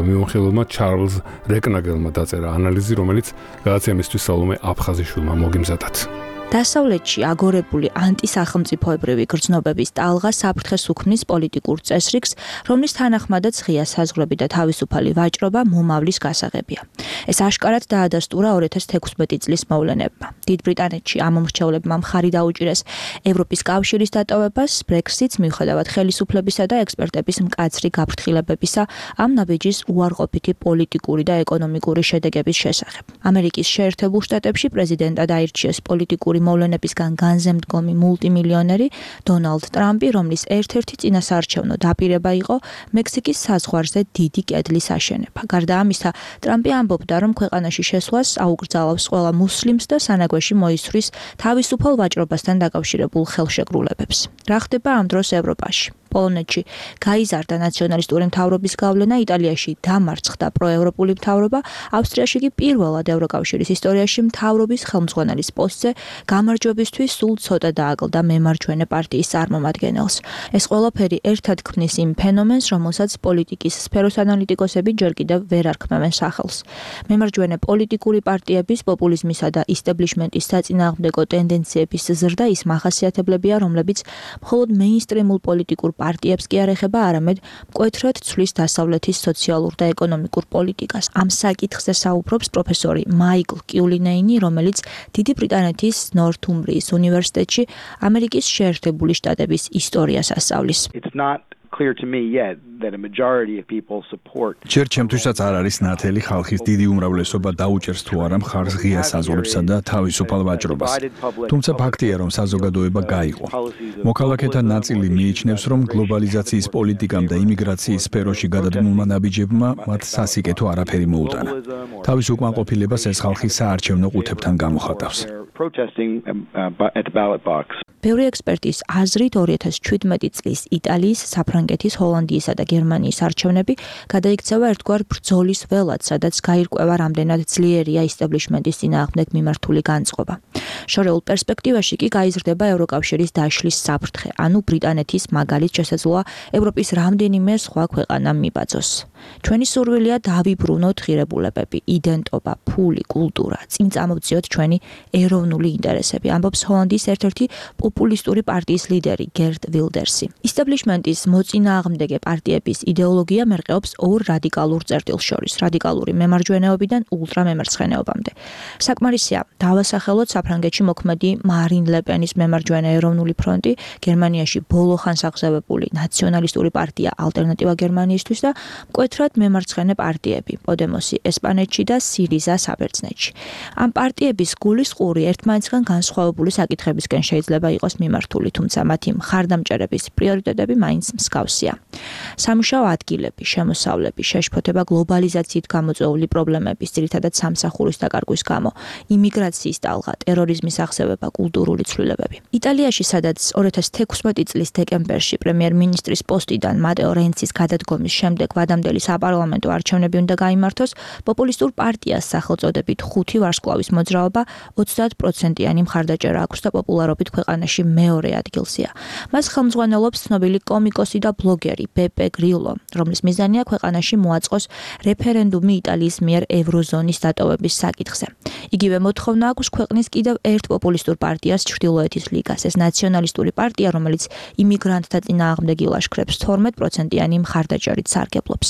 მიმოხილველმა ჩარლზ რეკნაგელმა დაწერა ანალიზი, რომელიც გადაცემისთვის სალომე აფხაზიშვილმა მოგიმზადათ.
დასავლეთში აგორებული ანტისახელმწიფოებრივი გრძნობების ტალღა საფრთხეს უქმნის პოლიტიკურ წესრიგს, რომლის თანახმადაც ღია საზღვრები და თავისუფალი ვაჭრობა მომავლის გასაღებია. ეს აშკარად დაადასტურა 2016 წლის მოვლენებმა. დიდ ბრიტანეთში ამ მომრჩევლებმა მხარი დაუჭირეს ევროპის კავშირის დატოვებას, Brexit-ს მიუხედავად ხელისუფლებისა და ექსპერტების მკაცრი გაფრთხილებებისა ამ ნაბიჯის უარყოფითი პოლიტიკური და ეკონომიკური შედეგების შესახებ. ამერიკის შეერთებულ შტატებში პრეზიდენტად აირჩიეს პოლიტიკური მოვლენებისგან განზემდგომი მულტიმილიონერი დონალდ ტრამპი, რომლის ერთ-ერთი წინასაარჩევნო დაპირება იყო მექსიკის საზღვარზე დიდი კედლის აშენება. გარდა ამისა, ტრამპი ამბობდა, რომ ქვეყანაში შესვლას აუკრძალავს ყველა მუსლიმს და სანაგვეში მოისვრის თავისუფალ ვაჭრობასთან დაკავშირებულ ხელშეკრულებებს. რა ხდება ამ დროს ევროპაში? პოლონეთში გაიზარდა ნაციონალისტური მთავრობის გავლენა, იტალიაში დამარცხდა პროევროპული მთავრობა, ავსტრიაში კი პირველად ევროკავშირის ისტორიაში მთავრობის ხელმძღვანელის პოსტზე გამარჯვებისთვის სულ ცოტა დააკლდა მემარჯვენე პარტიის წარმომადგენელს. ეს ყველაფერი ერთად ქმნის იმ ფენომენს, რომელსაც პოლიტიკის სფეროს ანალიტიკოსები ჯერ კიდევ ვერ არქმევენ სახელს. მემარჯვენე პოლიტიკური პარტიების, პოპულიზმისა და ისტაბლიშმენტის საწინააღმდეგო ტენდენციების ზრდა ის მახასიათებლებია, რომლებიც მხოლოდ მეინსტრიმულ პოლიტიკურ პარტიებს კი არ ეხება, არამედ მკვეთრად ცვლის დასავლეთის სოციალურ და ეკონომიკურ პოლიტიკას. ამ საკითხზე საუბრობს პროფესორი მაიკლ კიულინეინი, რომელიც დიდი ბრიტანეთის ნორთუმბრიის უნივერსიტეტში ამერიკის შეერთებული შტატების ისტორიას ასწავლის.
It's not
clear to me yet that a majority of people support.
ჯერ ჩემთვისაც არ არის ნათელი ხალხის დიდი უმრავლესობა დაუჭერს თუ არა მხარს ღია საზღვრებსა და თავისუფალ ვაჭრობას. თუმცა ფაქტია, რომ საზოგადოება გაიყო. მოქალაქეთა ნაწილი მიიჩნევს, რომ გლობალიზაციის პოლიტიკამ და იმიგრაციის სფეროში გადადგმულმა ნაბიჯებმა მათ სასიკეთო არაფერი მოუტანა. თავის უკმაყოფილებას ეს ხალხი საარჩევნო ყუთებთან გამოხატავს.
ბევრი ექსპერტის აზრით 2017 წლის იტალიის, საფრანგეთის, ჰოლანდიისა და გერმანიის არჩევნები გადაიქცევა ერთგვარ ბრძოლის ველად, სადაც გაირკვევა რამდენად ძლიერია ისტაბლიშმენტის წინააღმდეგ მიმართული განწყობა. შორეულ პერსპექტივაში კი გაიზრდება ევროკავშირის დაშლის საფრთხე, ანუ ბრიტანეთის მაგალით შესაძლოა ევროპის რამდენიმე სხვა ქვეყანამ მიბაძოს. ჩვენი სურვილია დავიბრუნოთ ღირებულებები, იდენტობა, ფული, კულტურა, წინ წამოვწიოთ ჩვენი ეროვნული ინტერესები, ამბობს ჰოლანდიის ერთ-ერთი პოპულისტური პარტიის ლიდერი გერტ ვილდერსი. ისტაბლიშმენტის მოწინააღმდეგე პარტიების იდეოლოგია მერყეობს ორ რადიკალურ წერტილს შორის, რადიკალური მემარჯვენეობიდან ულტრამემარცხენეობამდე. საკმარისია დავასახელოთ საფრანგეთში მოქმედი მარინ ლეპენის მემარჯვენე ეროვნული ფრონტი, გერმანიაში ბოლო ხანს აღზევებული ნაციონალისტური პარტია ალტერნატივა გერმანიისთვის და მკვეთრად მემარცხენე პარტიები, პოდემოსი ესპანეთში და სირიზა საბერძნეთში. ამ პარტიების გულისყური ერთმანეთისგან განსხვავებული საკითხებისკენ შეიძლება იყოს მიმართული, თუმცა მათი მხარდამჭერების პრიორიტეტები მაინც მსგავსია. სამუშაო ადგილები, შემოსავლები, შეშფოთება გლობალიზაციით გამოწვეული პრობლემების, ძირითადად სამსახურის დაკარგვის გამო, იმიგრაციის ტალღა, ტერორიზმის აღზევება, კულტურული ცვლილებები. იტალიაში, სადაც 2016 წლის დეკემბერში პრემიერ-მინისტრის პოსტიდან მატეო რენცის გადადგომის შემდეგ ვადამდელი საპარლამენტო არჩევნები უნდა გაიმართოს, პოპულისტურ პარტიას სახელწოდებით 5 ვარსკვლავის მოძრაობა 30%-იანი მხარდაჭერა აქვს და პოპულარობით ქვეყანაში მეორე ადგილზეა. მას ხელმძღვანელობს ცნობილი კომიკოსი და ბლოგერი ბეპე გრილო, რომლის მიზანია ქვეყანაში მოაწყოს რეფერენდუმი იტალიის მიერ ევროზონის დატოვების საკითხზე. იგივე მოთხოვნა აქვს ქვეყნის კიდევ ერთ პოპულისტურ პარტიას, ჩრდილოეთის ლიგას. ეს ნაციონალისტური პარტია, რომელიც იმიგრანტთა წინააღმდეგ ილაშქრებს 12%-იანი მხარდაჭერით სარგებლობს.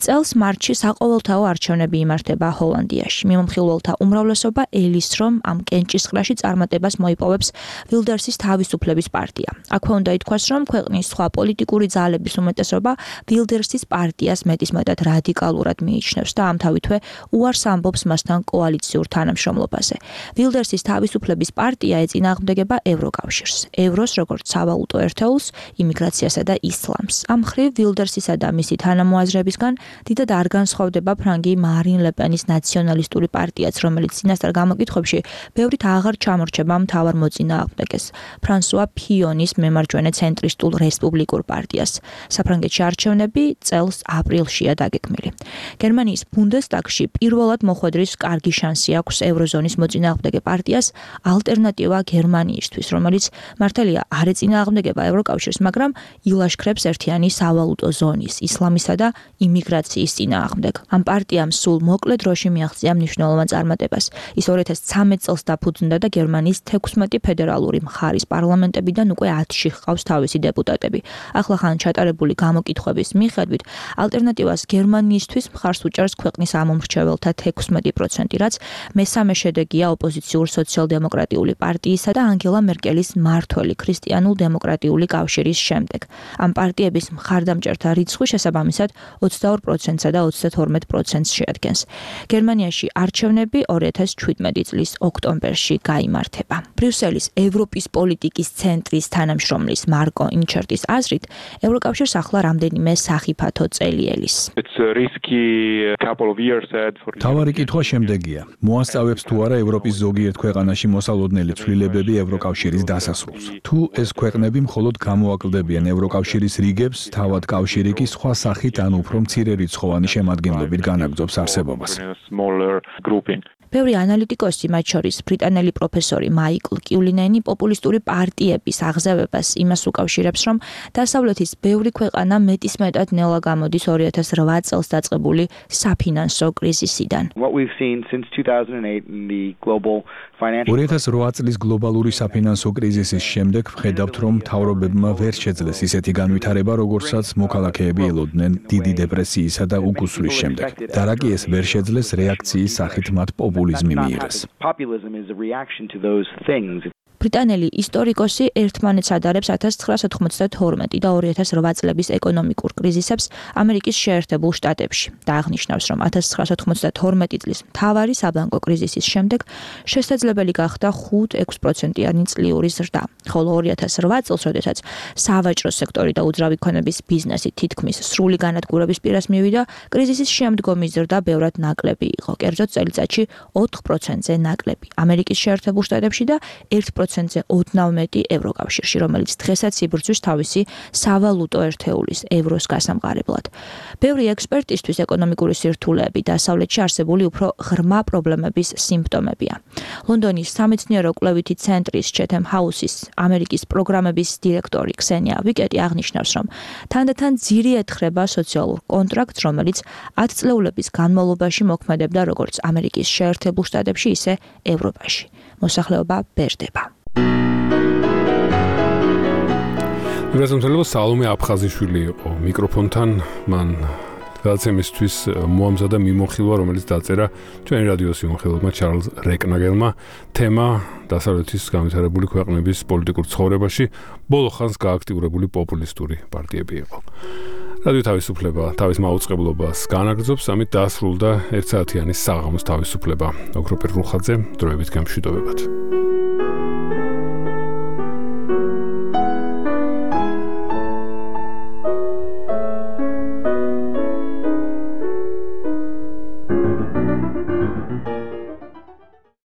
წელს მარტში საყოველთაო არჩევნები იმართება ჰოლანდიაში. მიმომხილველთა უმრავლესობა ელის, რომ ამ კენჭისყრაში წარმატებას მოიპოვებს ვილდერსის თავისუფლების პარტია. აქვე უნდა ითქვას, რომ ქვეყნის სხვა პოლიტიკური ძალების უმეტესობა ვილდერსის პარტიას მეტისმეტად რადიკალურად მიიჩნევს და ამთავითვე უარს ამბობს მასთან კოალიციურ თანამშრომლობაზე. ვილდერსის თავისუფლების პარტია ეწინააღმდეგება ევროკავშირს, ევროს როგორც სავალუტო ერთეულს, იმიგრაციასა და ისლამს. ამ მხრივ ვილდერსისა და მისი თანამოაზრებისგან დიდად არ განსხვავდება ფრანგი მარინ ლეპენის ნაციონალისტური პარტიაც, რომელიც წინასწარ გამოკითხვებში ბევრით აღარ ჩამორჩება მთავარ მოწინააღმდეგეს, ფრანსუა ფიონის მემარჯვენე ცენტრისტულ რესპუბლიკურ პარტიას. საფრანგეთში არჩევნები წელს აპრილშია დაგეგმილი. გერმანიის ბუნდესტაგში პირველად მოხვედრის კარგი შანსი აქვს ევროზონის მოწინააღმდეგე პარტიას ალტერნატივა გერმანიისთვის, რომელიც მართალია არ ეწინააღმდეგება ევროკავშირს, მაგრამ ილაშქრებს ერთიანი სავალუტო ზონის, ისლამისა და იმიგრაციის წინააღმდეგ. ამ პარტიამ სულ მოკლე დროში მიაღწია მნიშვნელოვან წარმატებას. ის 2013 წელს დაფუძნდა და გერმანიის 16 ფედერალური მხარის პარლამენტებიდან უკვე 10-ში ჰყავს თავისი დეპუტატები. ახლახან ჩატარებული გამოკითხვების მიხედვით, ალტერნატივას გერმანიისთვის მხარს უჭერს ქვეყნის ამომრჩეველთა 16%, რაც მესამე შედეგია ოპოზიციურ სოციალ-დემოკრატიული პარტიისა და ანგელა მერკელის მმართველი ქრისტიანულ-დემოკრატიული კავშირის შემდეგ. ამ პარტიების მხარდამჭერთა რიცხვი შესაბამისად 22%-სა და 32%-ს შეადგენს. გერმანიაში არჩევნები 2017 წლის ოქტომბერში გაიმართება. ბრიუსელის ევროპის პოლიტიკის ცენტრის თანამშრომლის მარკო ინჩერტის აზრით, ევროკავშირს ახლა რამდენიმე სახიფათო წელი ელის.
თავარი კითხვა შემდეგია: მოასწავებს თუ არა ევროპის ზოგიერთ ქვეყანაში მოსალოდნელი ცვლილებები ევროკავშირის დასასრულს? თუ ეს ქვეყნები მხოლოდ გამოაკლდებიან ევროკავშირის რიგებს, თავად კავშირი კი სხვა სახით ან უფრო მცირე რიცხოვანი შემადგენლობით განაგრძობს არსებობას.
ბევრი ანალიტიკოსი, მათ შორის ბრიტანელი პროფესორი მაიკლ კიულინენი, პოპულისტური პარტიების აღზევებას იმას უკავშირებს, რომ დასავლეთის ბევრი ქვეყანა მეტისმეტად ნელა გამოდის 2008 წელს დაწყებული საფინანსო კრიზისიდან.
2008 წლის გლობალური საფინანსო კრიზისის შემდეგ ვხედავთ, რომ მთავრობებმა ვერ შეძლეს ისეთი განვითარება, როგორცაც მოქალაქეები ელოდნენ დიდი დეპრესიისა და უკუსვლის შემდეგ. და რა კი ეს ვერ შეძლეს რეაქციის სახით მათ პოპულიზმი მიიღეს.
ბრიტანელი ისტორიკოსი ერთმანეთს ადარებს 1992 და 2008 წლების ეკონომიკურ კრიზისებს ამერიკის შეერთებულ შტატებში და აღნიშნავს, რომ 1992 წლის მთავარი საბანკო კრიზისის შემდეგ შესაძლებელი გახდა 5-6%-იანი წლიური ზრდა, ხოლო 2008 წელს, როდესაც სავაჭრო სექტორი და უძრავი ქონების ბიზნესი თითქმის სრული განადგურების პირას მივიდა, კრიზისის შემდგომი ზრდა ბევრად ნაკლები იყო, კერძოდ წელიწადში 4%-ზე ნაკლები ამერიკის შეერთებულ შტატებში და 1%-ზე ოდნავ მეტი ევროკავშირში, რომელიც დღესაც იბრძვის თავისი სავალუტო ერთეულის ევროს გასამყარებლად. ბევრი ექსპერტისთვის ეკონომიკური სირთულეები დასავლეთში არსებული უფრო ღრმა პრობლემების სიმპტომებია. ლონდონის სამეცნიერო კვლევითი ცენტრის Chatham House-ის ამერიკის პროგრამების დირექტორი ქსენია ვიკეტი აღნიშნავს, რომ თანდათან ძირი ეთხრება სოციალურ კონტრაქტს, რომელიც 10 წლეულების განმავლობაში მოქმედებდა როგორც ამერიკის შეერთებულ შტატებში, ისე ევროპაში. მოსახლეობა ბერდება.
მიგრაციონერობა სალომე აფხაზიშვილი იყო მიკროფონთან, მან გადაცემისთვის მოამზადა მიმოხილვა, რომელიც დაწერა ჩვენი რადიოს მიმოხილველმა ჩარლზ რეკნაგელმა, თემა დასავლეთის განვითარებული ქვეყნების პოლიტიკურ ცხოვრებაში ბოლო ხანს გააქტიურებული პოპულისტური პარტიები იყო. რადიო თავისუფლება თავის მაუწყებლობას განაგრძობს, ამით დაასრულდა 1 საათიანი საღამოს თავისუფლება. ოქროპირ რუხაძე, დროებით გამშვიდობებად.